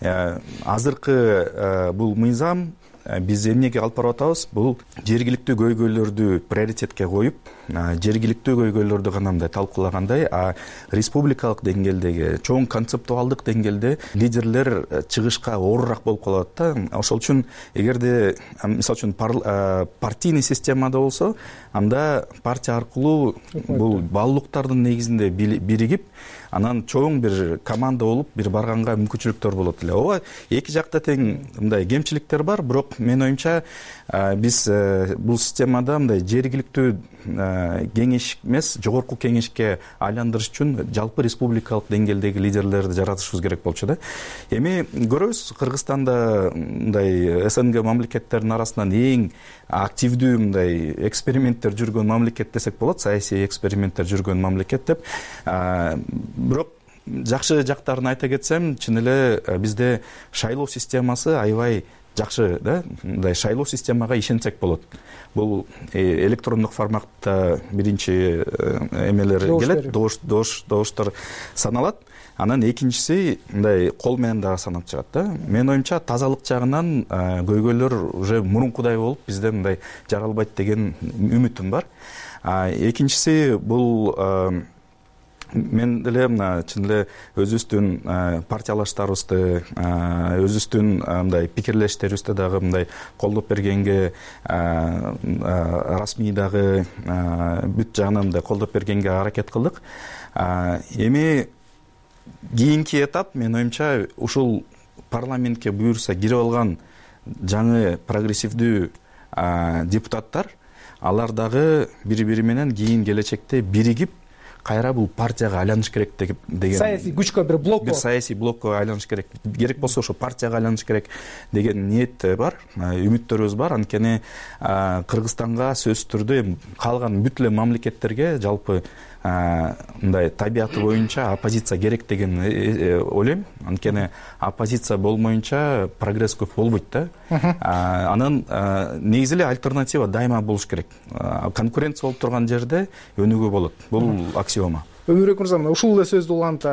азыркы бул мыйзам биз эмнеге алып барып атабыз? Бул жергиликтүү көйгөйлөрдү приоритетке коюп, жергиликтүү көйгөйлөрдү гана мындай талкуулагандай, а республикалык деңгээлдеги, чоң концептуалдык деңгээлде лидерлер чыгышка оорураак болуп калат да. Ошол үчүн эгерде мисалы үчүн партийный системада болсо, анда партия аркылуу бул баалуулуктардын негизинде биригип, анан чоң бир команда болуп бир барганга мүмкүнчүлүктөр болот эле. Ооба, эки жакта тең мындай кемчиликтер бар, бирок менин оюмча биз бул системада мындай жергиликтүү кеңеш эмес, жогорку кеңешке айландырыш үчүн жалпы республикалык деңгээлдеги лидерлерди жаратышыбыз керек болчу да. Эми көрөбүз, Кыргызстанда мындай СНГ мамлекеттеринин арасынан эң активдүү мындай эксперименттер жүргөн мамлекет десек болот, саясий эксперименттер жүргөн мамлекет деп. Бирок жакшы жактарын айта кетсем, чын эле бизде шайлоо системасы аябай жакшы да. Мындай шайлоо системага ишенсек болот. Бул электрондук форматта биринчи эмелер келет, добуштар саналат. Анан экинчиси мындай кол менен дагы санап чыгат да. Менин оюмча тазалык жагынан көйгөйлөр уже мурункудай болуп, бизде мындай жаралбайт деген үмүтүм бар. Экинчиси бул мен деле мына чын эле өзүбүздүн партиялаштарыбызды, өзүбүздүн мындай пикирлештерибизди дагы мындай колдоп бергенге, расмий дагы бүт жагынан мындай колдоп бергенге аракет кылдык. Эми кийинки этап менин оюмча ушул парламентке буюрса кирип алган жаңы прогрессивдүү депутаттар, алар дагы бири-бири менен кийин келечекте биригип кайра бул партияга айланыш керек деген саясий күчкө, бир блокко, бир саясий блокко айланыш керек. Керек болсо ошо партияга айланыш керек деген ниет бар, үмүттөрүбүз бар. Анткени Кыргызстанга сөзсүз түрдө калган бүт эле мамлекеттерге жалпы мындай табияты боюнча оппозиция керек деген ойлойм. Анткени оппозиция болмоюнча прогресс көп болбойт да. Анан негизи эле альтернатива дайыма болуш керек. Конкуренция болуп турган жерде өнүгүү болот. Бул аксиома. Өмүрбек мырза, ушул эле сөздү уланта,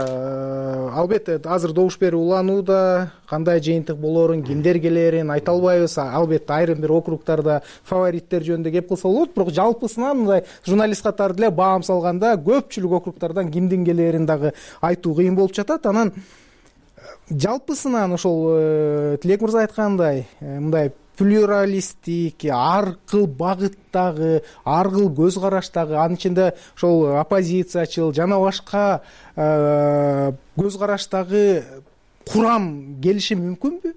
албетте азыр добуш берүү уланууда, кандай жыйынтык болоорун, кимдер келерин айта албайбыз. Албетте айрым бир округтарда фавориттер жөнүндө кеп кылса болот, бирок жалпысынан мындай журналист катары деле баам салганда көпчүлүк округтардан кимдин келерин дагы айтуу кыйын болуп жатат. Анан жалпысынан ошол Тилек мырза айткандай, мындай плюралисттик, ар кыл багыттагы, ар кыл көз караштагы, анын ичинде ошол оппозициячыл жана башка көз караштагы курам келиши мүмкүнбү?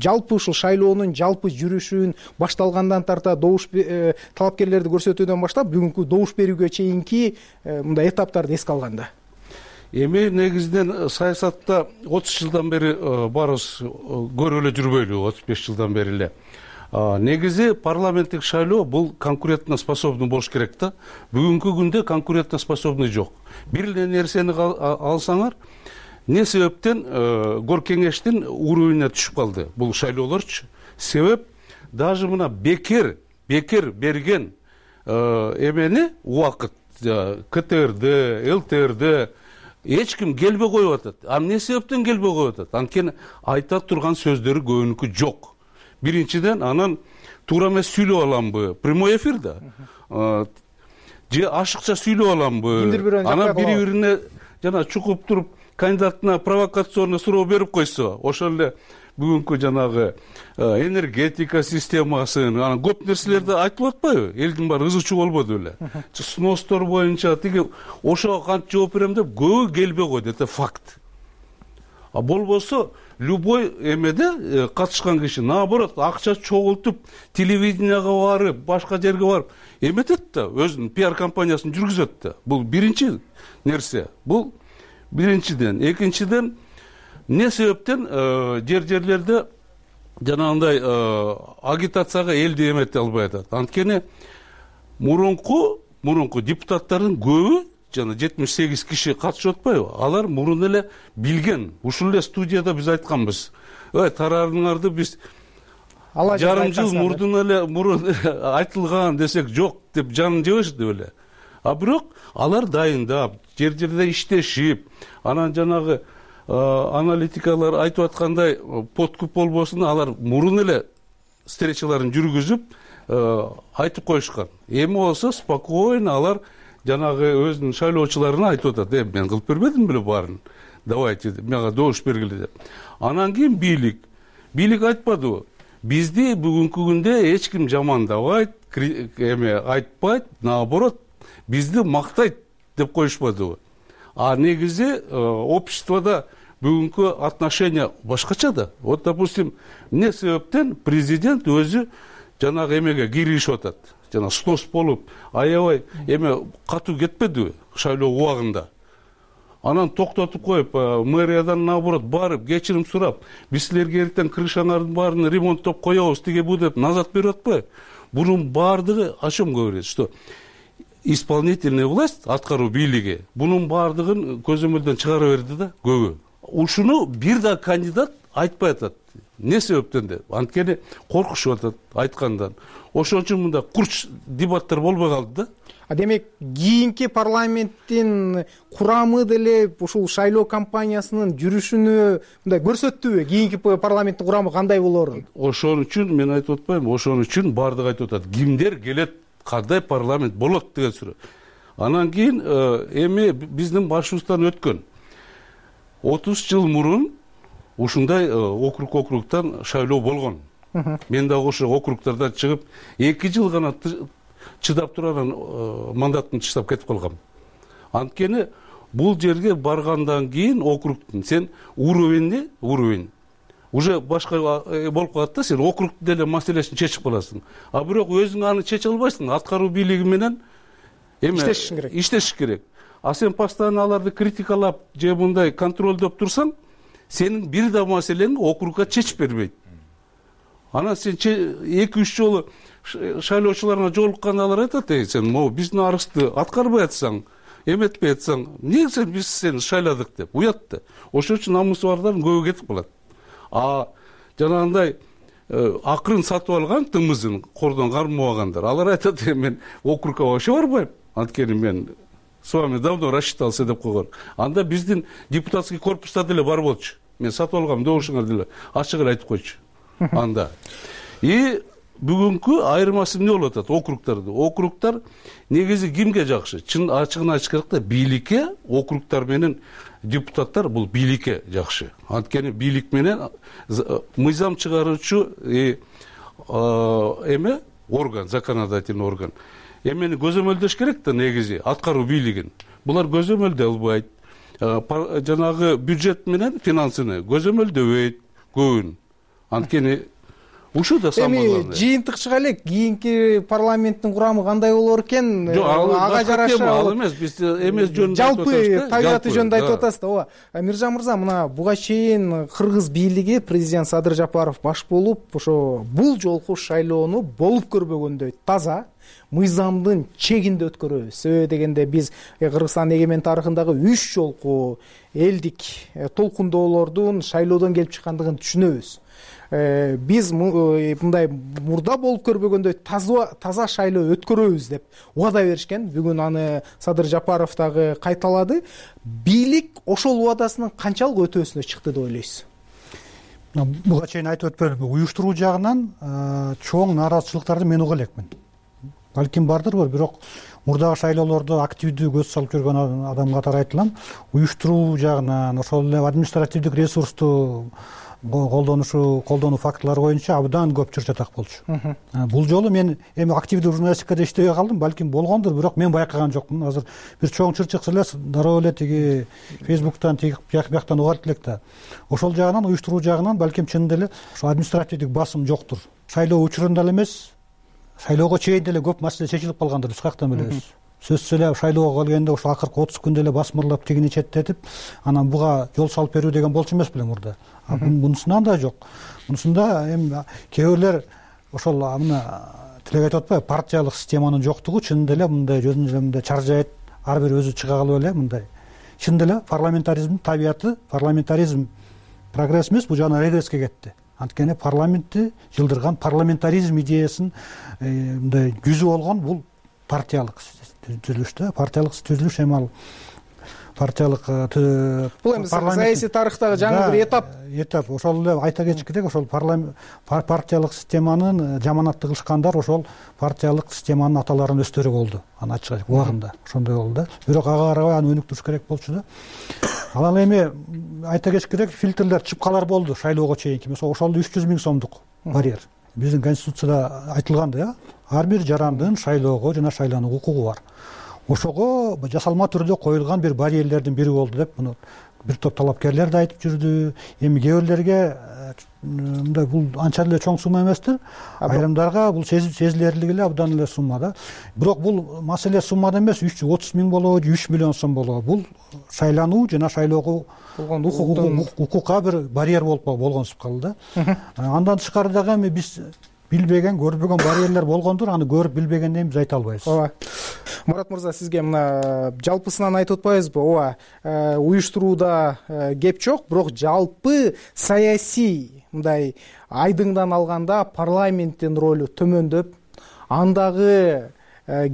Жалпы ушул шайлоонун жалпы жүрүшүн башталгандан тарта добуш талапкерлерди көрсөтүүдөн баштап бүгүнкү добуш берүүгө чейинки мындай этаптарды эске алганда. Эми негизинен саясатта отуз жылдан бери баарыбыз көрүп эле жүрбөйлү, отуз беш жылдан бери эле. Негизи парламенттик шайлоо бул конкурентно способный болуш керек да. Бүгүнкү күндө конкурентно способный жок. Бир эле нерсени алсаңар, эмне себептен гор кеңештин уровенине түшүп калды бул шайлоолорчу? Себеп даже мына бекер, бекер берген эмени убакыт КТРди, ЛТРди эч ким келбей коюп атат. А эмне себептен келбей коюп атат? Анткени айта турган сөздөрү көбүнүкү жок. Биринчиден, анан туура эмес сүйлөп аламбы? Прямой эфирде. Же ашыкча сүйлөп аламбы? Анан бири-бирине жана чукуп туруп кандидатына провокационный суроо берип койсо, ошол эле бүгүнкү жанагы энергетика системасын, анан көп нерселерди айтылып атпайбы? Элдин баары ызы-чуу болбоду беле? Сностор боюнча тиги ошого кантип жооп берем деп көбү келбей койду, это факт. А болбосо любой эмеде катышкан киши наоборот акча чогултуп, телевиденияга барып, башка жерге барып эметет да, өзүнүн пиар компаниясын жүргүзөт да. Бул биринчи нерсе. Бул биринчиден. Экинчиден, эмне себептен жер жерлерде жанагындай агитацияга элди эмете албай атат? Анткени мурунку мурунку депутаттардын көбү, жана жетимиш сегиз киши катышып атпайбы? Алар мурун эле билген. Ушул эле студияда биз айтканбыз. Ой, тарарыңарды биз жарым жыл мурдун эле мурун айтылган десек жок деп жанын жебешти беле. А бирок алар дайындап, жер жерде иштешип, анан жанагы аналитикалар айтып аткандай подкуп болбосун, алар мурун эле встречаларын жүргүзүп айтып коюшкан. Эми болсо спокойно алар жанагы өзүнүн шайлоочуларына айтып атат: "Эми мен кылып бербедим беле баарын. Давайте мага добуш бергиле" деп. Анан кийин бийлик, бийлик айтпадыбы? Бизди бүгүнкү күндө эч ким жамандабайт, эме айтпайт, наоборот, бизди мактайт деп коюшпадыбы? А негизи обществодо бүгүнкү отношение башкача да. Вот, допустим, эмне себептен президент өзү жанагы эмеге киришип атат. Жана снос болуп, аябай эме катуу кетпедиби шайлоо убагында? Анан токтотуп коюп, мэриядан наоборот барып, кечирим сурап, биз силерге эртең крышаңардын баарын ремонттоп коебуз, тиге бу деп назад берип атпайбы? Бунун баардыгы о чем говорит, что исполнительная власть, аткаруу бийлиги бунун баардыгын көзөмөлдөн чыгара берди да, көбү. Ушуну бир да кандидат айтпай атат. Не себептен деп? Анткени коркушуп атат айткандан. Ошон үчүн мында курч дебаттар болбой калды да. А демек кийинки парламенттин курамы деле ушул шайлоо кампаниясынын жүрүшүнү мындай көрсөттүбү? Кийинки парламенттин курамы кандай болорун? Ошон үчүн мен айтып атпаймынбы? Ошон үчүн баардыгы айтып атат. Кимдер келет, кандай парламент болот деген суроо. Анан кийин эми биздин башыбыздан өткөн отуз жыл мурун ушундай округ округтан шайлоо болгон. Мен дагы ошо округтардан чыгып эки жыл гана чыдап туруп анан мандатымды таштап кетип калгам. Анткени бул жерге баргандан кийин округтун сен уровеньни, уровень уже башка болуп калат да, сен округтун деле маселесин чечип каласың. А бирок өзүң аны чече албайсың, аткаруу бийлиги менен эме иштешиң керек. Иштеш керек. А сен постоянно аларды критикалап же мындай контролдоп турсаң, сенин бир да маселеңди округга чечип бербейт. Анан сен эки үч жолу шайлоочуларына жолукканда алар айтат: "Эй, сен могу биздин арызды аткарбай атсаң, эметпей атсаң, эмне сен биз сени шайладык" деп уят да. Ошон үчүн намусу бардардын көбү кетип калат. А жанагындай акырын сатып алган тымызын кордон кармабагандар, алар айтат: "Мен округга вообще барбайм. Анткени мен с вами давно рассчитался" деп койгон. Анда биздин депутатский корпуста деле бар болчу. Мен сатып алгам добушуңар деле ачык эле айтып койчу анда. И бүгүнкү айырмасы эмне болуп атат округтарды? Округтар негизи кимге жакшы? Чын ачыгын айтыш керек да, бийликке округтар менен депутаттар бул бийликке жакшы. Анткени бийлик менен мыйзам чыгаруучу эме орган, законодательный орган эмени көзөмөлдөш керек да негизи, аткаруу бийлигин. Булар көзөмөлдөй албайт. Жанагы бюджет менен финансыны көзөмөлдөбөйт көбүн. Анткени ушул да самое главное. Эми жыйынтык чыга элек, кийинки парламенттин курамы кандай болор экен? Ага жараша ал эмес, биз эмес жөнүндө жалпы табияты жөнүндө айтып атасыз да. Ооба. Миржан мырза, мына буга чейин кыргыз бийлиги президент Садыр Жапаров баш болуп, ошо бул жолку шайлоону болуп көрбөгөндөй таза, мыйзамдын чегинде өткөрөбүз. Себеби дегенде биз Кыргызстан эгемен тарыхындагы үч жолку элдик толкундоолордун шайлоодон келип чыккандыгын түшүнөбүз. Биз мындай мурда болуп көрбөгөндөй таза шайлоо өткөрөбүз деп убада беришкен. Бүгүн аны Садыр Жапаров дагы кайталады. Бийлик ошол убадасынын канчалык өтөөсүнө чыкты деп ойлойсуз? Буга чейин айтып өтпөдүмбү, уюштуруу жагынан чоң нааразычылыктарды мен уга элекмин. Балким бардырбы, бирок мурдагы шайлоолордо активдүү көз салып жүргөн адам катары айтылам. Уюштуруу жагынан, ошол эле административдик ресурсту колдонушу, колдонуу фактылары боюнча абдан көп чыр-чатак болчу. Бул жолу мен эми активдүү журналистикада иштебей калдым, балким болгондур, бирок мен байкаган жокмун. Азыр бир чоң чыр чыкса эле дароо эле тиги Фейсбуктан, тиги бияктан угалып элек да. Ошол жагынан, уюштуруу жагынан балким чынында эле ошо административдик басым жоктур. Шайлоо учурунда эле эмес, шайлоого чейин деле көп маселе чечилип калгандыр, биз каяктан билебиз. Сөзсүз эле шайлоого келгенде ошо акыркы отуз күндө эле басмырлап тигини четтетип, анан буга жол салып берүү деген болчу эмес белең мурда. Мунусунан да жок. Мунусунда эми кээ бирлер ошол мына тилек айтып атпайбы, партиялык системанын жоктугу чынында эле мындай өзүнүн эле мындай чаржайт, ар бир өзү чыга калып эле мындай. Чынында эле парламентаризмдин табияты, парламентаризм прогресс эмес, бул жана регресске кетти. анткени парламентти жылдырган парламентаризм идеясын мындай жүзү болгон бул партиялык түзүлүш да. Партиялык түзүлүш эми ал партиялык бул эми саясий тарыхтагы жаңы бир этап этап ошол эле айта кетиш керек. Ошол партиялык системанын жаманатты кылышкандар ошол партиялык системанын аталарынын өстөрү болду. Аны ачык айтып убагында ошондой болду да. Бирок ага карабай аны өнүктүрүш керек болчу да. Анан эми айта кетиш керек, фильтрлер, чыпкалар болду шайлоого чейинки. Мисалы ошол үч жүз миң сомдук барьер. Биздин конституцияда айтылган да, ар бир жарандын шайлоого жана шайланууга укугу бар. Ошого жасалма түрдө коюлган бир барьерлердин бири болду деп муну бир топ талапкерлер да айтып жүрдү. Эми кээ бирлерге мындай бул анча эле чоң сумма эместир. Айрымдарга бул сезилерлик эле абдан эле сумма да. Бирок бул маселе суммада эмес, үч жүз отуз миң болобу, үч миллион сом болобу. Бул шайлануу жана шайлоого болгон укукка бир барьер болуп болгонсуп калды да. Андан тышкары дагы эми биз билбеген, көрбөгөн барьерлер болгондур, аны көрүп билбегенден биз айта албайбыз. Ооба. Мурат мырза, сизге мына жалпысынан айтып атпайбызбы? Ооба, уюштурууда кеп жок, бирок жалпы саясий мындай айдыңдан алганда парламенттин ролу төмөндөп, андагы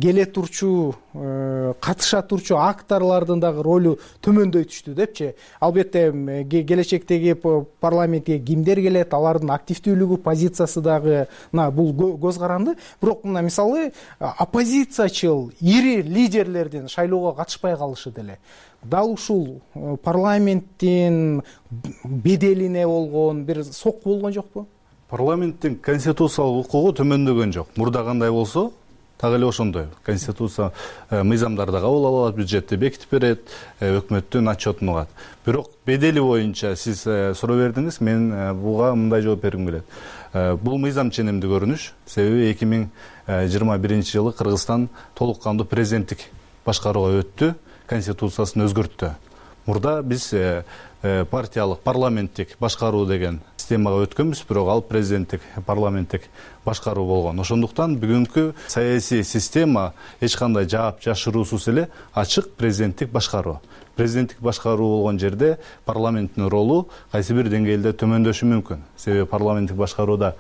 келе турчу катыша турчу акторлордун дагы ролу төмөндөй түштү депчи. Албетте келечектеги парламентке кимдер келет, алардын активдүүлүгү, позициясы дагы бул көз каранды. Бирок мына мисалы оппозициячыл ири лидерлердин шайлоого катышпай калышы деле дал ушул парламенттин беделине болгон бир сокку болгон жокпу? Парламенттин конституциялык укугу төмөндөгөн жок. Мурда кандай болсо так эле ошондой. Конституция мыйзамдарды кабыл алат, бюджетти бекитип берет, өкмөттүн отчетун угат. Бирок бедели боюнча сиз суроо бердиңиз, мен буга мындай жооп бергим келет. Бул мыйзам ченемдүү көрүнүш. Себеби эки миң жыйырма биринчи жылы Кыргызстан толук кандуу президенттик башкарууга өттү, конституциясын өзгөрттү. Мурда биз партиялык парламенттик башкаруу деген системага өткөнбүз, бирок ал президенттик парламенттик башкаруу болгон. Ошондуктан бүгүнкү саясий система эч кандай жаап жашыруусуз эле ачык президенттик башкаруу. Президенттик башкаруу болгон жерде парламенттин ролу кайсы бир деңгээлде төмөндөшү мүмкүн. Себеби парламенттик башкарууда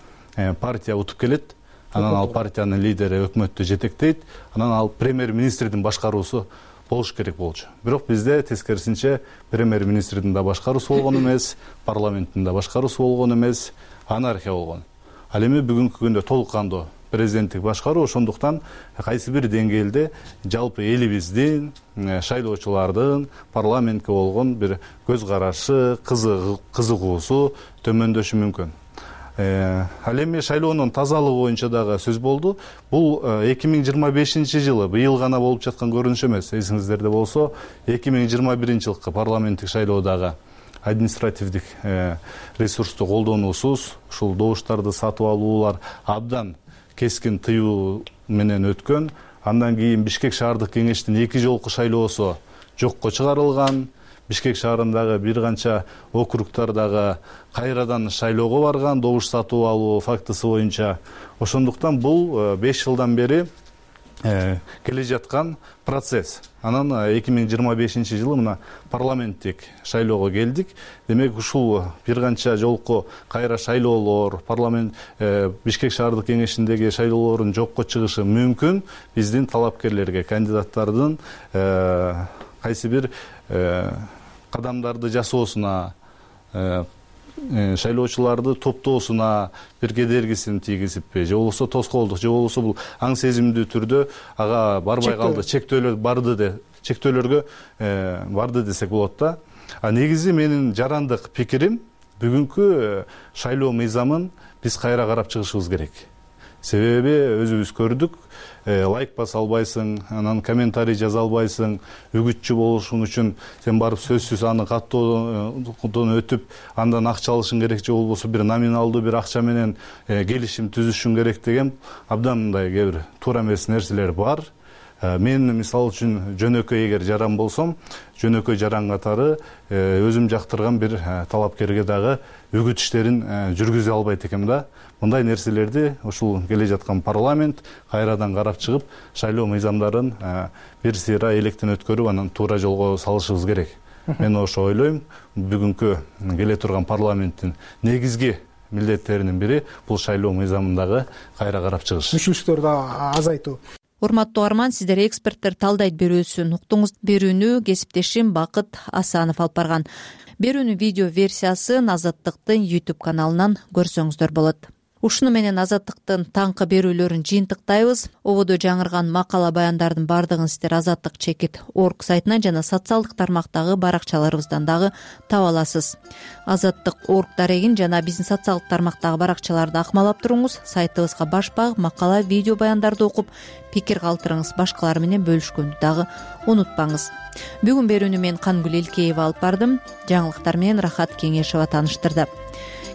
партия утуп келет, анан ал партиянын лидери өкмөттү жетектейт, анан ал премьер-министрдин башкаруусу болуш керек болчу. Бирок бизде тескерисинче премьер-министрдин да башкаруусу болгон эмес, парламенттин да башкаруусу болгон эмес, анархия болгон. Ал эми бүгүнкү күндө толук кандуу президенттик башкаруу, ошондуктан кайсы бир деңгээлде жалпы элибиздин, шайлоочулардын парламентке болгон бир көз карашы, кызыгуусу төмөндөшү мүмкүн. Ал эми шайлоонун тазалыгы боюнча дагы сөз болду. Бул эки миң жыйырма бешинчи жылы быйыл гана болуп жаткан көрүнүш эмес. Эсиңиздерде болсо, эки миң жыйырма биринчи жылкы парламенттик шайлоодагы административдик ресурсту колдонуусуз ушул добуштарды сатып алуулар абдан кескин тыюу менен өткөн. Андан кийин Бишкек шаардык кеңештин эки жолку шайлоосу жокко чыгарылган. Бишкек шаарындагы бир канча округдардагы кайрадан шайлоого барган, добуш сатып алуу фактысы боюнча. Ошондуктан бул беш жылдан бери келе жаткан процесс. Анан эки миң жыйырма бешинчи жылы мына парламенттик шайлоого келдик. Демек ушул бир канча жолку кайра шайлоолор, парламент Бишкек шаардык кеңешиндеги шайлоолордун жокко чыгышы мүмкүн. Биздин талапкерлерге, кандидаттардын кайсы бир кадамдарды жасоосуна, шайлоочуларды топтоосуна бир кедергисин тийгизиппи, же болбосо тоскоолдук, же болбосо бул аң сезимдүү түрдө ага барбай калды, чектөөлөр барды де, чектөөлөргө барды десек болот да. А негизи менин жарандык пикирим, бүгүнкү шайлоо мыйзамын биз кайра карап чыгышыбыз керек. Себеби өзүбүз көрдүк, лайк баса албайсың, анан комментарий жаза албайсың, үгүтчү болушуң үчүн сен барып сөзсүз аны каттоодон өтүп, андан акча алышың керек, же болбосо бир номиналдуу бир акча менен келишим түзүшүң керек деген абдан мындай кээ бир туура эмес нерселер бар. Мен мисалы үчүн жөнөкөй эгер жаран болсом, жөнөкөй жаран катары өзүм жактырган бир талапкерге дагы үгүт иштерин жүргүзө албайт экенм да. Мындай нерселерди ушул келе жаткан парламент кайрадан карап чыгып, шайлоо мыйзамдарын бир сыйра электен өткөрүп, анан туура жолго салышыбыз керек. Мен ошо ойлойм. Бүгүнкү келе турган парламенттин негизги милдеттеринин бири бул шайлоо мыйзамындагы кайра карап чыгыш, мүчүлүктөрдү азайтуу. Урматтуу угарман, сиздер эксперттер талдайт берүүсүн уктуңуз. Берүүнү кесиптешим Бакыт Асанов алып барган. Берүүнүн видео версиясын Азаттыктын YouTube каналынан көрсөңүздөр болот. Ушуну менен Азаттыктын таңкы берүүлөрүн жыйынтыктайбыз. Ободо жаңырган макала баяндардын бардыгын сиздер азаттык чекит орг сайтынан жана социалдык тармактагы баракчаларыбыздан дагы таба аласыз. Азаттык орг дарегин жана биздин социалдык тармактагы баракчаларды акмалап туруңуз. Сайтыбызга баш багып, макала, видео баяндарды окуп, пикир калтырыңыз, башкалар менен бөлүшкөндү дагы унутпаңыз. Бүгүн берүүнү мен Кангүл Элкеева алып бардым. Жаңылыктар менен Рахат Кеңешова тааныштырды.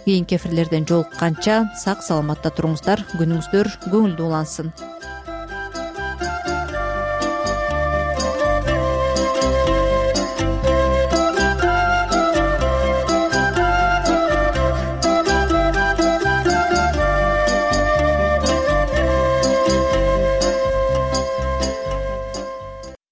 Кийинки эфирлерден жолукканча сак саламатта туруңуздар, күнүңүздөр көңүлдүү улансын.